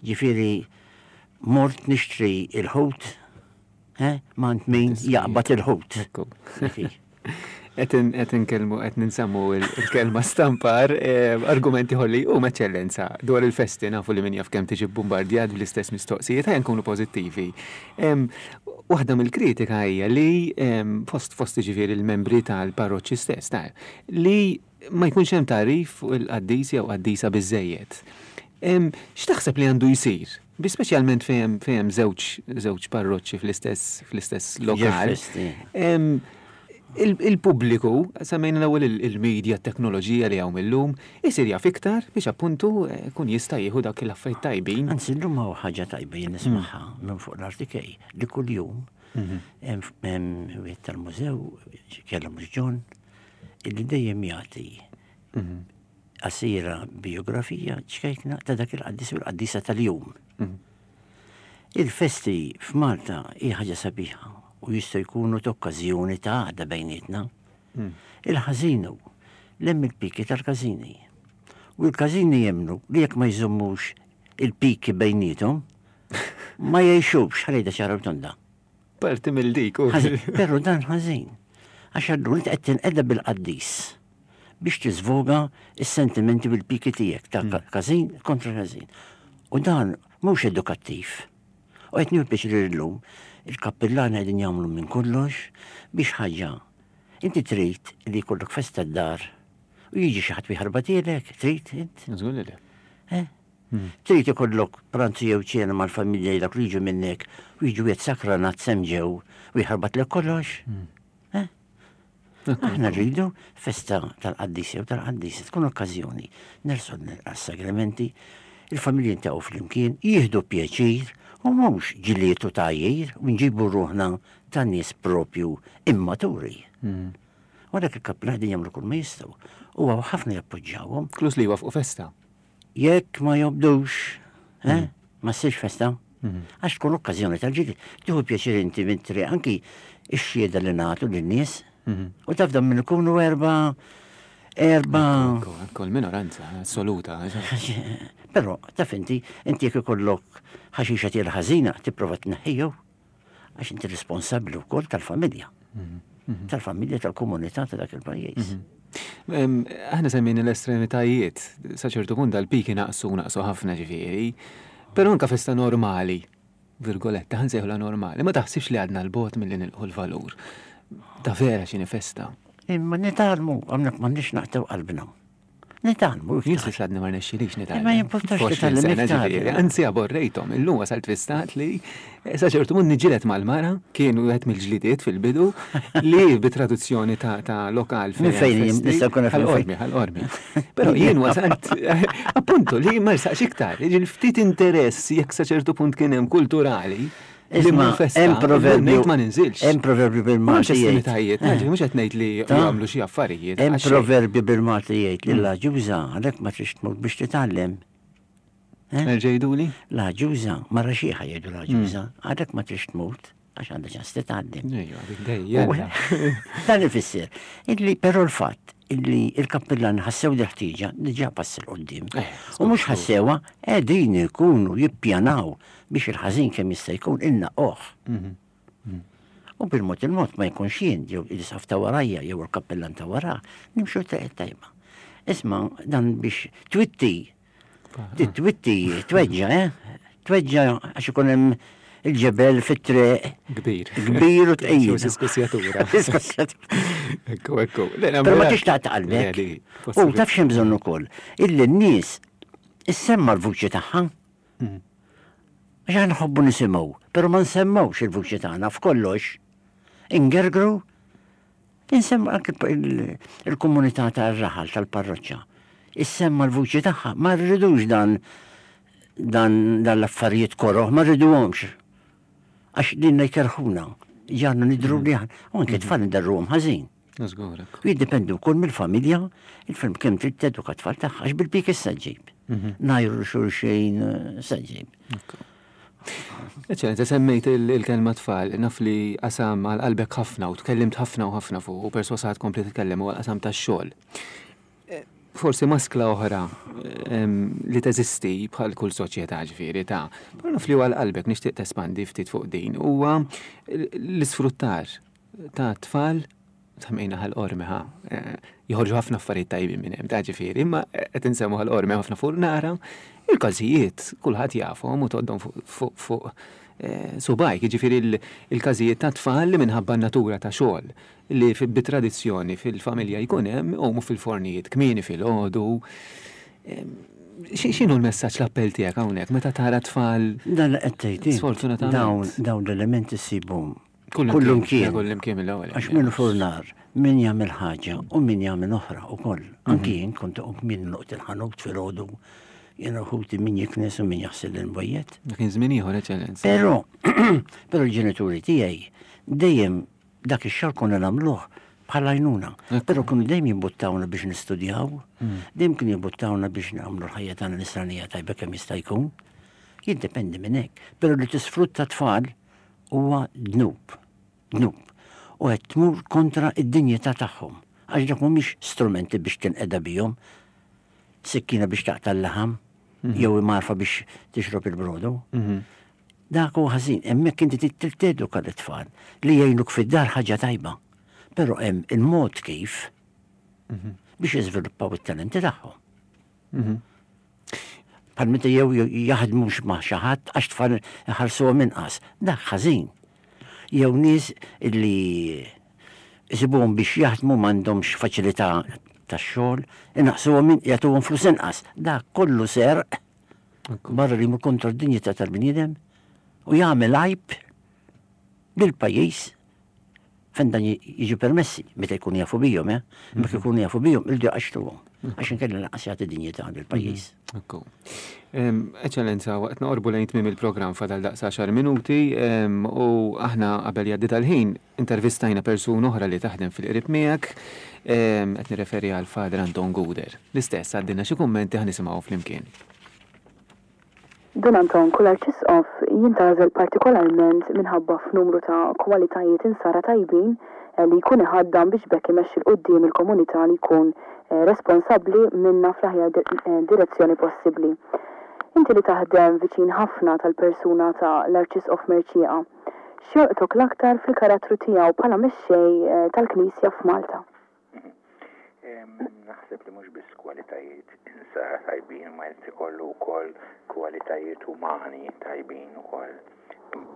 Ġifieri mort nixtri il-ħut eh, m'għand min jaqbad il-ħut. Qed inkellmu qed ninsemmu il-kelma stampar, eh, argumenti ħolli u eċċellenza dwar il-festi nafu li min jaf kemm tiġi bombardjat bl-istess mistoqsijiet ħajja nkunu pożittivi. Waħda mill-kritika hija li fost fost ġifieri il-membri tal-parroċċi stess, ta' li ma jkunx hemm tagħrif fuq il-qaddis jew qaddisa biżejjed. X'taħseb li għandu jsir? Bi speċjalment fejn fejn żewġ żewġ parroċċi fl-istess fl-istess lokal. Il-pubbliku, semmejna l-ewwel il-media, t-teknoloġija li hawn illum, isir jaf iktar biex appuntu eh, kun jista' jieħu dak l-affarijiet tajbin. Anzi, llum hawn ħaġa tajba jien nismagħha minn fuq l-R T K li kuljum mhm. hemm wieħed tal-mużew kellha mhux John illi dejjem jagħti mhm. qasira biografija ċkejkna ta' dak il-qaddis u l-qaddisa tal-jum. Mhm. Il-festi f'Malta hija ħaġa sabiħa u jistgħu jkunu t'okkażjoni ta' għaqda bejnietna. Hmm. Il-ħażinu hemm il-piki tal-każini. U l-każini jemmnu li jekk ma jżommux il-piki bejnietom, ma jgħixux ħalejda ċara tonda. Parti mill-dik. Però dan ħażin. Għax allura inti qed tinqeda bil-qaddis biex tiżvoga is-sentimenti bil-piki tiegħek ta' hmm. każin kontra każin. U dan mhux edukattiv. U qed nieħu pjaċir illum il-kappillani qegħdin jagħmlu minn kollox biex ħaġa. Inti trid li jkollok festa d-dar u jiġi xi ħadd jħarbatilek, trid int? Żgur li le. Eh? Hmm. Trid ikollok pranzu jew ċena mal-familja dak li jiġu minnek u jiġu qed sakranat semġew u jħarbatlek kollox. Hmm. Eh? Aħna rridu festa tal-qaddis jew tal-qaddis tkun okkażjoni nersu għas-sagramenti, il-familji jiltaqgħu flimkien, jieħdu pjaċir u mhux ġilietu tajjir u nġibu ruħna ta' nies propju immaturi. Mm. U għalhekk il-kappillani jagħmlu kull ma jistgħu. U hawn ħafna jappoġġjawhom. Klus li jwafqu festa. Jekk ma jobdux, eh, mm. ma ssirx festa. Mm. Għax tkun okkażjoni tal-ġili. Tieħu pjaċir inti minn triq anki ix-xhieda li nagħtu lin-nies. Mm-hmm. U taf dan minn ikunu erba' erba. Kol minoranza assoluta. Però taf inti, inti jekk ikollok ħaxixa tiel ħażina, tipprova tneħħiju għax inti responsabbli wkoll tal-familja. Mhm, mhm. Tal-familja tal-komunità ta' dak il-pajjiż. Mhm. Aħna semmejna l-estremitajiet, sa ċertu punt dal-piki naqsu naqsu ħafna ġifieri, però anka festa normali, virgoletta, ħa nsejħulha normali, ma taħsibx li għadna l-bot milli nilħu l-valur. Ta' vera x'inhi festa. Imma nitgħallmu, għamnek m'għandniex naqtgħu qalbna. Nitgħallmu Jien iktar. s'issa għadni ma rnexxilix nitgħallem. Ma jimportax F'għoxrin titgħallem sena iktar. ġifieri, Anzi aborrejthom, illum wasalt fi stat li eh, sa ċertu punt niġġieled mal-mara, kien wieħed mill-ġlidiet fil-bidu li bi traduzzjoni ta' ta' lokal Minn fejn festi, nista' nkun naf minn fejn. Ħal Qormi, Ħal Qormi. Però jien wasalt appuntu li ma rsaqx iktar, jiġifieri ftit interess jekk sa ċertu punt kien hemm kulturali li Isma' mmur festa, hemm proverbju. ngħid ma ninżilx. Hemm proverbju Ma bil-Malti nafx jgħid. estremitajiet, ġifieri mhux qed ngħid li Ta' jagħmlu xi affarijiet. Hemm għax xejn. proverbju bil-Malti jgħid li l-għaġuża għalhekk ma trix tmut biex titgħallem. Eh? Erġa' jgħiduli? L-għaġuża, mara xiħa jgħidu l-għaġuża, għalhekk ma trix tmut għax għandha ċans titgħallem. Ejja, dik dejjem. Dan ifisser illi però l-fatt illi il-kappillan ħassew di ħtieġa diġà pass 'il quddiem. Eh, U mhux ħassewha qegħdin ikunu jippjanaw biex il-ħażin kemm jista' jkun innaqqoh. U bil-mod il-mod ma jkunx jien jew il-isqof ta' warajja jew il-kappillan ta' wara, nimxu triq tajba. Isma' dan biex twitti, twitti, tweġġa, eh? Tweġġa għax ikun hemm il-ġebel fit-triq Kbir. kbir u tqil. Diskussjatura. Diskussjatura. Ekku, ekku. Le, Però ma tix taqta' qalbek. Le, li, U taf x'hemm bżonn ukoll, illi n-nies issemma l-vuċi tagħha. Mm. Għax aħna nħobbu nisimgħu, però ma nsemmawx il-vuċi tagħna f'kollox. Ingergru, insemma anke il- il-komunità tar-raħal tal-parroċċa. Issemma l-vuċi tagħha, ma rridux dan dan dan l-affarijiet koroh, ma rriduhomx. Għax dinna jkerħuna, ġarna nidru li aħna, u anke tfal ndarruhom ħażin. Żgur, ekku. U jiddependu wkoll mill-familja, il-film kemm trid teduka tfal tagħha, għax bil-pik issa ġib. Ngħajru xulxin eh, sa ġib. Eċċellenza, semmejt il- il-kelma tfal, naf li qasam għal qalbek ħafna u tkellimt ħafna u ħafna fuq u persważ kompli titkellem u għal-qasam tax-xogħol. Eh, Forsi maskla oħra em, li teżisti bħal kull soċjetà ġifieri ta' però naf li għal qalbek nixtieq tespandi ftit fuq din huwa l-isfruttar ta' tfal semmejna Ħal Qormi ħa. eh, Joħorġu ħafna affarijiet tajbin minn hemm, ta' ġifieri, imma qed insemmu Ħal Qormi ħafna furnara, il-każijiet kulħadd jafhom u tgħoddhom fuq fuq fuq eh, subgħajk, jiġifieri il- il-każijiet ta' tfal li minħabba n-natura ta' xogħol li fi- bit-tradizzjoni fil-familja jkun hemm iqumu fil-fornijiet kmieni filgħodu. Em, xi- X'inhu l-messaġġ l-appell tiegħek hawnhekk meta tara tfal Dan li qed tgħid int, Sfortunatament. dawn dawn l-elementi ssibhom Kullum kullum Kullimkien mill-ewwel. Għax min furnar, min jagħmel ħaġa u min jagħmel oħra ukoll. Anki jien kont uqum min noqt il-ħanut filgħodu, jien uħuti min jiknes u min jaħsel il-bojjet. Kien żmien ieħor, eċċellenza. Però, però l-ġenituri tiegħi dejjem dak ix-xogħol konna nagħmluh bħala għajnuna. Però kienu dejjem jimbuttawna biex nistudjaw, dejjem kienu jimbuttawna biex nagħmlu l-ħajja tagħna nisranija tajba kemm jista' jkun. Jiddependi minn hekk. Però li tisfrutta tfal huwa dnub. Dnub. U qed tmur kontra id-dinjità tagħhom. Għax dak mhumiex strumenti biex tinqeda bihom, sikkina biex taqta' l-laħam, jew imgħarfa biex tixrob il-brodu. Dak huwa ħażin, hemmhekk inti trid teduka l-tfal li jgħinuk fid-dar ħaġa tajba. Però hemm il-mod kif biex jiżviluppaw it-talenti tagħhom. Bħal meta jew jaħdmux ma' xi ħadd għax tfal iħarsuhom inqas. Dak ħażin. Jew nies illi isibuhom biex jaħdmu m'għandhomx faċilità tax-xogħol, inaqsuhom jagħtuhom flus inqas. Dak kollu serq barra li jmur kontra d-dinjità tal-bniedem u jagħmel għajb lill-pajjiż fejn dan jiġu permessi meta jkunu jafu bihom, eh? Meta jkunu jafu bihom, irdu jqaxxtuhom. Għax inkella lanqas jagħti dinjità lill-pajjiż. Ekku. Em, Eċċellenza, waqt noqorbu lejn tmiem il-programm fadal daqs għaxar minuti em, u aħna qabel jgħaddi tal-ħin intervistajna persuna oħra li taħdem fil-qrib miegħek, em, qed nirreferi għal Father Anton Guder. L-istess għaddina xi kummenti ħa nisimgħu flimkien. Dun Anton, kull arċisqof jintgħażel partikolarment minħabba f'numru ta' kwalitajiet insara tajbin eh, li jkun iħaddam biex b'hekk imexxi 'l quddiem il-komunità li jkun eh, responsabbli minna fl-aħjar di- eh, direzzjoni possibbli. Inti li taħdem viċin ħafna tal-persuna ta' l-Arċisqof Mercieca, x'jolqtok l-aktar fil-karattru tiegħu bħala mexxej eh, tal-Knisja f'Malta? Em, Naħseb li mhux biss kwalitajiet insara tajbin, ma jrid ikollu wkoll kwalitajiet umani tajbin ukoll.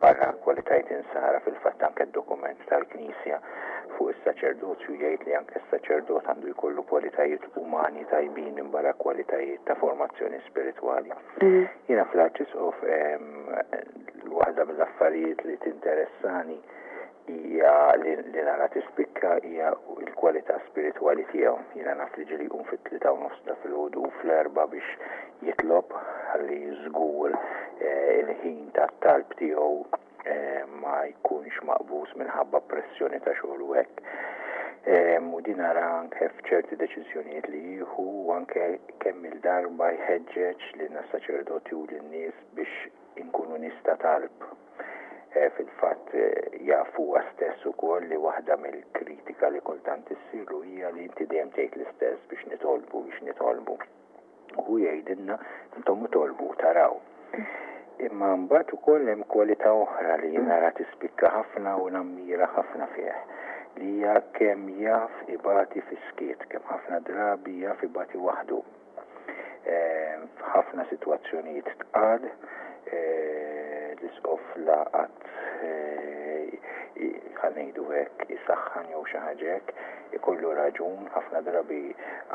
Barra kwalitajiet insara fil-fatt anke d-dokument tal-Knisja Fuq is-saċerdozju jgħid li anke s-saċerdot għandu jkollu kwalitajiet umani tajbin minbarra kwalitajiet ta' formazzjoni spiritwali. Jiena fl-Arċisqof waħda mill-affarijiet li tinteressani hija li nara tispikka hija l-kwalità spiritwali tiegħu. Jiena naf li ġieli jqum fit-tlieta u nofs ta' filgħodu u fl-erbgħa biex jitlob ħalli żgur il-ħin tat-talb tiegħu ma jkunx maqbuż minħabba pressjoni ta' xogħol u hekk. U din nara anke f'ċerti deċiżjonijiet li jieħu u anke kemm il-darba jħeġġeġ lilna s-saċerdoti u lin-nies biex inkunu nies ta' talb. Fil-fatt jaf huwa stess ukoll li waħda mill-kritika li kultant issirlu hija li inti dejjem tgħid l-istess biex nitolbu biex nitolbu. U jgħidilna intom itolbu taraw. Imma mbagħad ukoll hemm kwalità oħra li nara tispikka ħafna u nammira ħafna fih, li hija kemm jaf ibati fis-skiet, kemm ħafna drabi jaf ibati waħdu. F'ħafna sitwazzjonijiet tqal, l-isqof laqat ħa ngħidu hekk isaħħan jew xi ħaġa hekk, ikollu raġun, ħafna drabi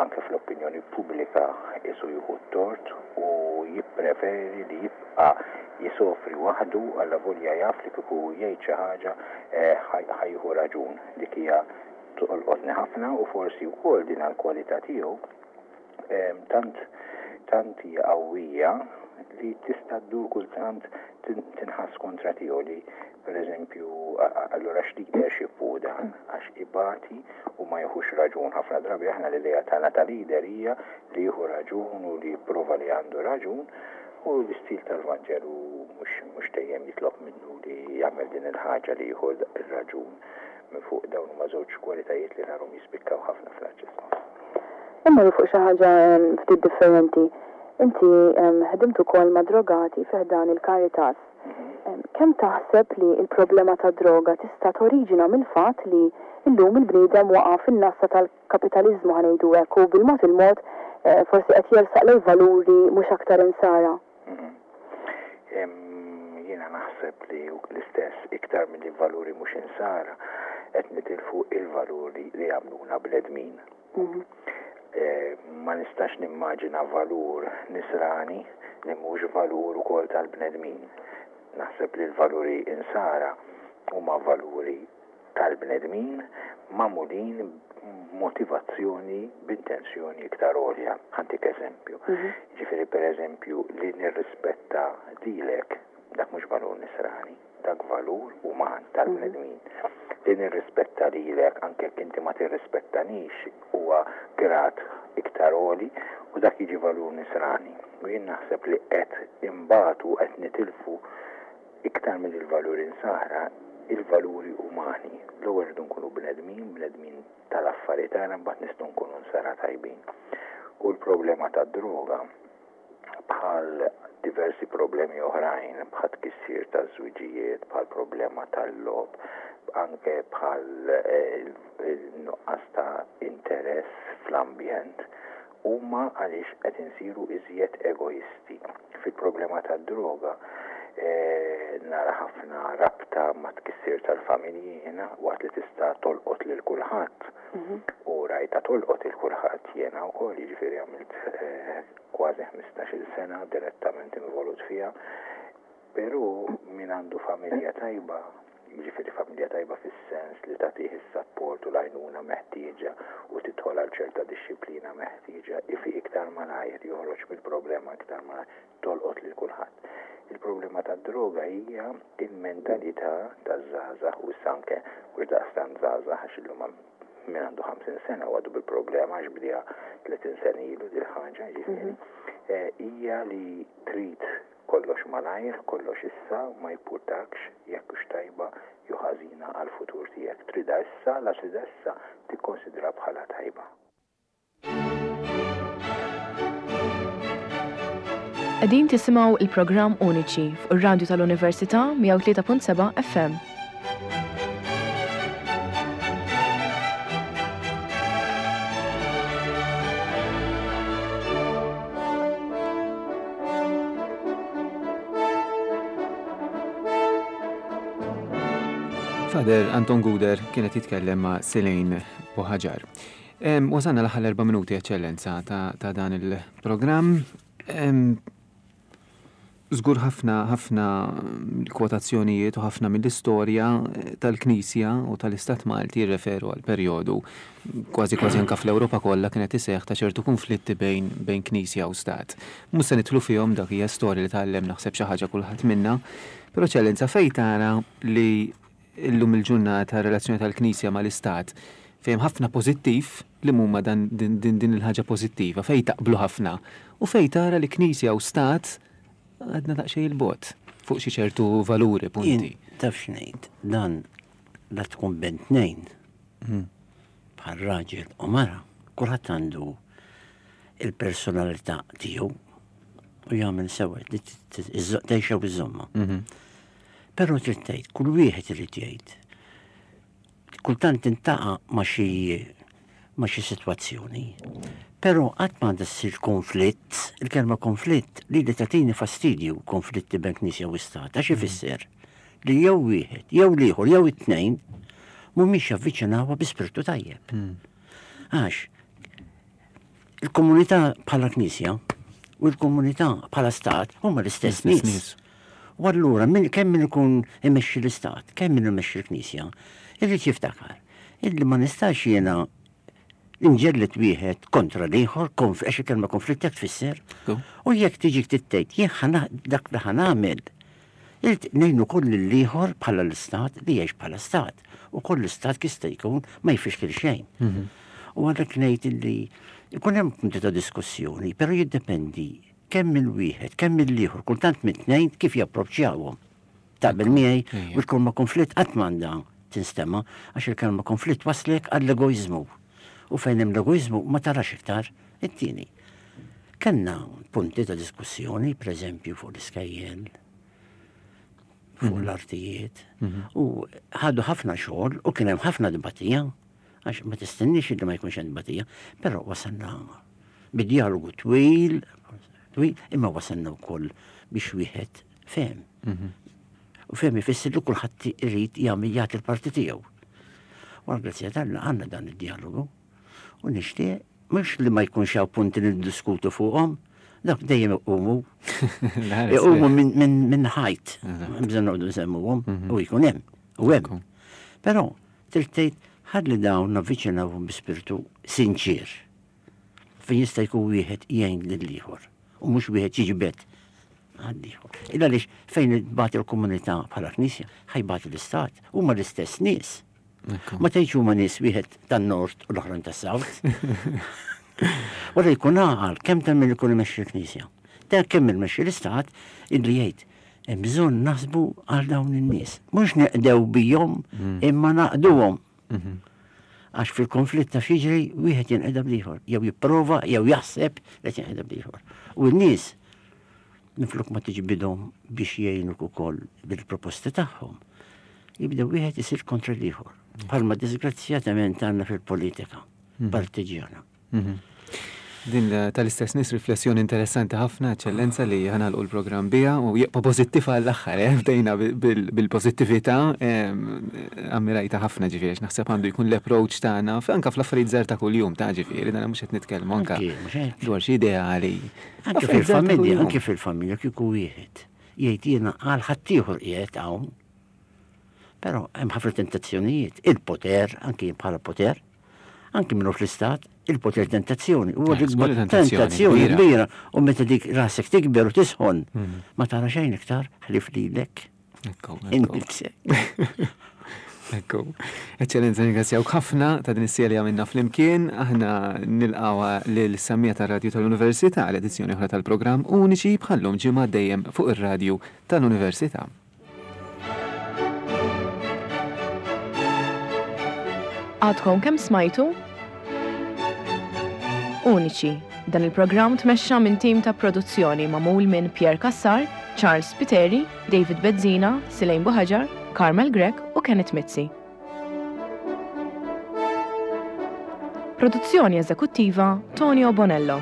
anke fl-opinjoni pubblika isu jieħu t-tort u jippreferi li jibqa' jisofri waħdu allavolja jaf li kieku jgħid xi ħaġa ħa jieħu raġun. Dik hija tolqotni ħafna u forsi wkoll din għall-kwalità tiegħu tant tant hija qawwija li tista' ddur kultant tinħass kontra tiegħu li pereżempju allura x'leadership hu dan għax ibati u ma jieħux raġun. Ħafna drabi aħna l-idea tagħna ta' leader hija li jieħu raġun u li jipprova li għandu raġun, u l-istil tal-Vanġelu mhux dejjem jitlob minnu li jagħmel din il-ħaġa li jieħu r-raġun minn fuq. Dawn huma żewġ kwalitajiet li narhom jispikkaw ħafna fl-Arċisqof. Immorru fuq xi ħaġa ftit differenti. Inti ħdimt ukoll ma' drogati fi ħdan il-Caritas. Kemm taħseb li l-problema ta' droga tista' toriġina mill-fatt li llum il-bniedem waqa' fin-nassa tal-kapitaliżmu ħa ngħidu hekk u bil-mod il-mod forsi qed jersaq lejn valuri mhux aktar insara? Jiena naħseb li l-istess iktar milli valuri mhux insara qed nitilfu il-valuri li jagħmluna bnedmin. Ma nistax nimmaġina valur nisrani li mhux valur ukoll tal-bnedmin. Naħseb li l-valuri insara huma valuri tal-bnedmin magħmulin b'motivazzjoni b'intenzjoni iktar għolja. Ħantik eżempju. Ġifieri pereżempju li nirrispetta lilek dak mhux valur nisrani, dak valur uman tal-bnedmin. Li nirrispetta lilek anke jekk inti ma tirrispettanix huwa grad iktar għoli u dak jiġi valur nisrani. U jien naħseb li qed imbatu qed nitilfu iktar minn il-valuri insara il-valuri umani. L-ewwel rridu nkunu bnedmin, bnedmin tal-affarijiet tagħna, mbagħad nistgħu nkunu nsara tajbin. U l-problema tad-droga bħal diversi problemi oħrajn, bħal tkissir taż-żwiġijiet, bħal problema tal-logħob, anke bħal il-nuqqas ta' interess fl-ambjent, huma għaliex qed insiru iżjed egoisti. Fil-problema tad-droga nara ħafna rabta ma' tkissir tal-familji jiena waqt li tista' tolqot lil kulħadd. U rajta tolqot il kulħadd jiena wkoll, jiġifieri għamilt kważi ħmistax-il sena direttament involut fiha. Però min għandu familja tajba, jiġifieri familja tajba fis-sens li tagħtih is-sapport u l-għajnuna meħtieġa u tidħol għal ċerta dixxiplina meħtieġa, ifiq iktar malajr, joħroġ mill-problema iktar malajr, tolqot lil kulħadd. Il-problema tad-droga hija il-mentalità taż-żgħażagħ u issa anke mhux daqstant żgħażagħ għax illum min għandu ħamsin sena u għadu bil-problema għax bdiha tletin sena ilu dil ħaġa, jiġifieri, hija li trid kollox malajr, kollox issa, ma jimpurtakx jekk hux tajba jew ħażina għall-futur tiegħek. Tridha issa, la tridha issa, tikkonsidra bħala tajba. Qegħdin tisimgħu il-programm Uniċi fuq ir-radju tal-Università mija u tlieta punt seba' F M. Father Anton Gouder kien qed jitkellem ma' Selaine Buhagiar. Wasalna l-aħħar erba' minuti, Eċċellenza, ta', ta dan il-programm. Żgur ħafna ħafna kwotazzjonijiet u ħafna mill-istorja tal-Knisja u tal-Istat Malti jirreferu għal perjodu kważi kważi anka fl-Ewropa kollha kienet iseħħ ta' ċertu konflitti bejn bejn Knisja u Stat. Mhux se nidħlu fihom, dak hija storja li tgħallem naħseb xi ħaġa kulħadd minna. Però Eċċellenza, fejn tara li illum il-ġurnata relazzjoni tal-Knisja mal-Istat fejn ħafna pożittiv li huma dan din, din, din il-ħaġa pożittiva, fejn taqblu ħafna u fejn tara li Knisja u Stat għadna daqsxejn il-bogħod fuq xi ċertu valuri, punti. Jien taf x'ngħid, dan la tkun bejn tnejn bħal raġel u mara, kulħadd għandu il-personalità tiegħu u jagħmel sewa li tgħixha biżomma. Però trid tgħid, kull wieħed irid jgħid. Kultant tintaqa' ma' xi ma' xi sitwazzjoni. Però qatt ma għandha ssir konflitt, il-kelma konflitt li li tagħtini fastidju konflitti bejn Knisja u Stat, għax ifisser li jew wieħed, jew l-ieħor, jew it-tnejn mhumiex javviċinawha bi spiritu tajjeb. Għax il-komunità bħala Knisja u l-komunità bħala Stat huma l-istess nies. U allura min kemm min ikun imexxi l-Istat, kemm min imexxi l-Knisja, irrid jiftakar illi ma nistax jiena inġellet wieħed kontra l-ieħor, għax il-kelma konflitt jekk tfisser. U jekk tiġi tittejt, jien dak li ħa nagħmel, irid ngħinu koll l-ieħor bħala l-Istat li jgħix bħala Stat. U koll l-Istat jista' jkun ma jfixkil xejn. U għalhekk ngħid illi jkun hemm punti ta' diskussjoni, però jiddependi kemm il-wieħed, kemm il-ieħor, kultant mit-tnejn kif japproċċjawhom. Taqbel miegħi u l-kelma konflitt qatt m'għandha tinstema' għax il-kelma konflitt waslek għall-egoiżmu. U fejn hemm l-egoiżmu ma tarax iktar it-tieni. Kellna punti ta' diskussjoni, pereżempju fuq l-iskejjel, fuq l-artijiet, u ħadu ħafna xogħol u kien hemm ħafna dibatija, għax ma tistenniex li ma jkunx hemm dibatija, però wasalna bid-dialogu twil, twil, imma wasalna wkoll biex wieħed fehem. U fehem ifisser li kulħadd irid jagħmel jagħti l-parti tiegħu. U għall-grazzja t'Alla għandna dan id-dialogu. U nixtieq mhux li ma jkunx hawn punti li niddiskutu fuqhom, dak dejjem iqumu. Iqumu minn min ħajt, bżonn noqogħdu nsemmuhom u jkun hemm, u hemm. Però trid tgħid ħalli dawn navviċinawhom bi spiritu sinċir. Fejn jista' jkun wieħed jgħin lill-ieħor u mhux wieħed jiġbed għall-ieħor. Illa għaliex fejn tbati l-komunità bħala Knisja, ħa jbati l-Istat, huma l-istess nies. Ma tgħidx huma nies wieħed tan-nord u l-oħrajn tas-south. Wara jkun għaqal kemm ta' min ikun imexxi l-Knisja. Ta' kemm imexxi l-Istat illi jgħid hemm bżonn naħsbu għal dawn in-nies. Mhux neqdew bihom imma naqduhom. Għax fil-konflitt ta' jiġri wieħed jinqeda bl-ieħor, jew jipprova jew jaħseb li jinqeda bl-ieħor. U n-nies minflok ma tiġbidhom biex jgħinuk ukoll bil-proposti tagħhom, jibdew wieħed isir kontra l-ieħor. Bħalma disgrazzjatament għandna fil-politika partiġjana. Din tal-istess nies riflessjoni interessanti ħafna, Eċċellenza, li ħa nagħlqu l-programm biha u jibqa' pożittiv għall-aħħar, eh? Bdejna bil-pożittività, ammirajta ħafna ġifieri, naħseb għandu jkun l-approach tagħna anke fl-affarijiet żgħar ta' kuljum ta' ġifieri, dan mhux qed nitkellmu anke dwar xi ideali. Anke fil-familja, anke fil-familja kieku wieħed jgħid jiena għal ħaddieħor qiegħed hawn. Però hemm ħafna tentazzjonijiet, il-poter, anke bħala poter, anke minnu fl-istat, il-poter tentazzjoni. U l-ikbar tentazzjoni kbira. U meta dik rasek tikber u tisħon, ma tara xejn iktar ħlief lilek. Innifsek. Ekku. Eċċellenza, ringrazzjawk ħafna ta' din is-serja għamilna flimkien. Aħna nilqgħu lil semmiegħa tar-Radju tal-Università għal edizzjoni oħra tal-programm Uniċi bħallum ġimgħa dejjem fuq ir-Radju tal-Università. Għadkom kemm smajtu? Uniċi. Dan il-programm tmexxa minn tim ta' produzzjoni magħmul minn Pierre Cassar, Charles Spiteri, David Bezzina, Selaine Buhagiar, Carmel Grech u Kenneth Mizzi. Produzzjoni eżekuttiva Tonio Bonello.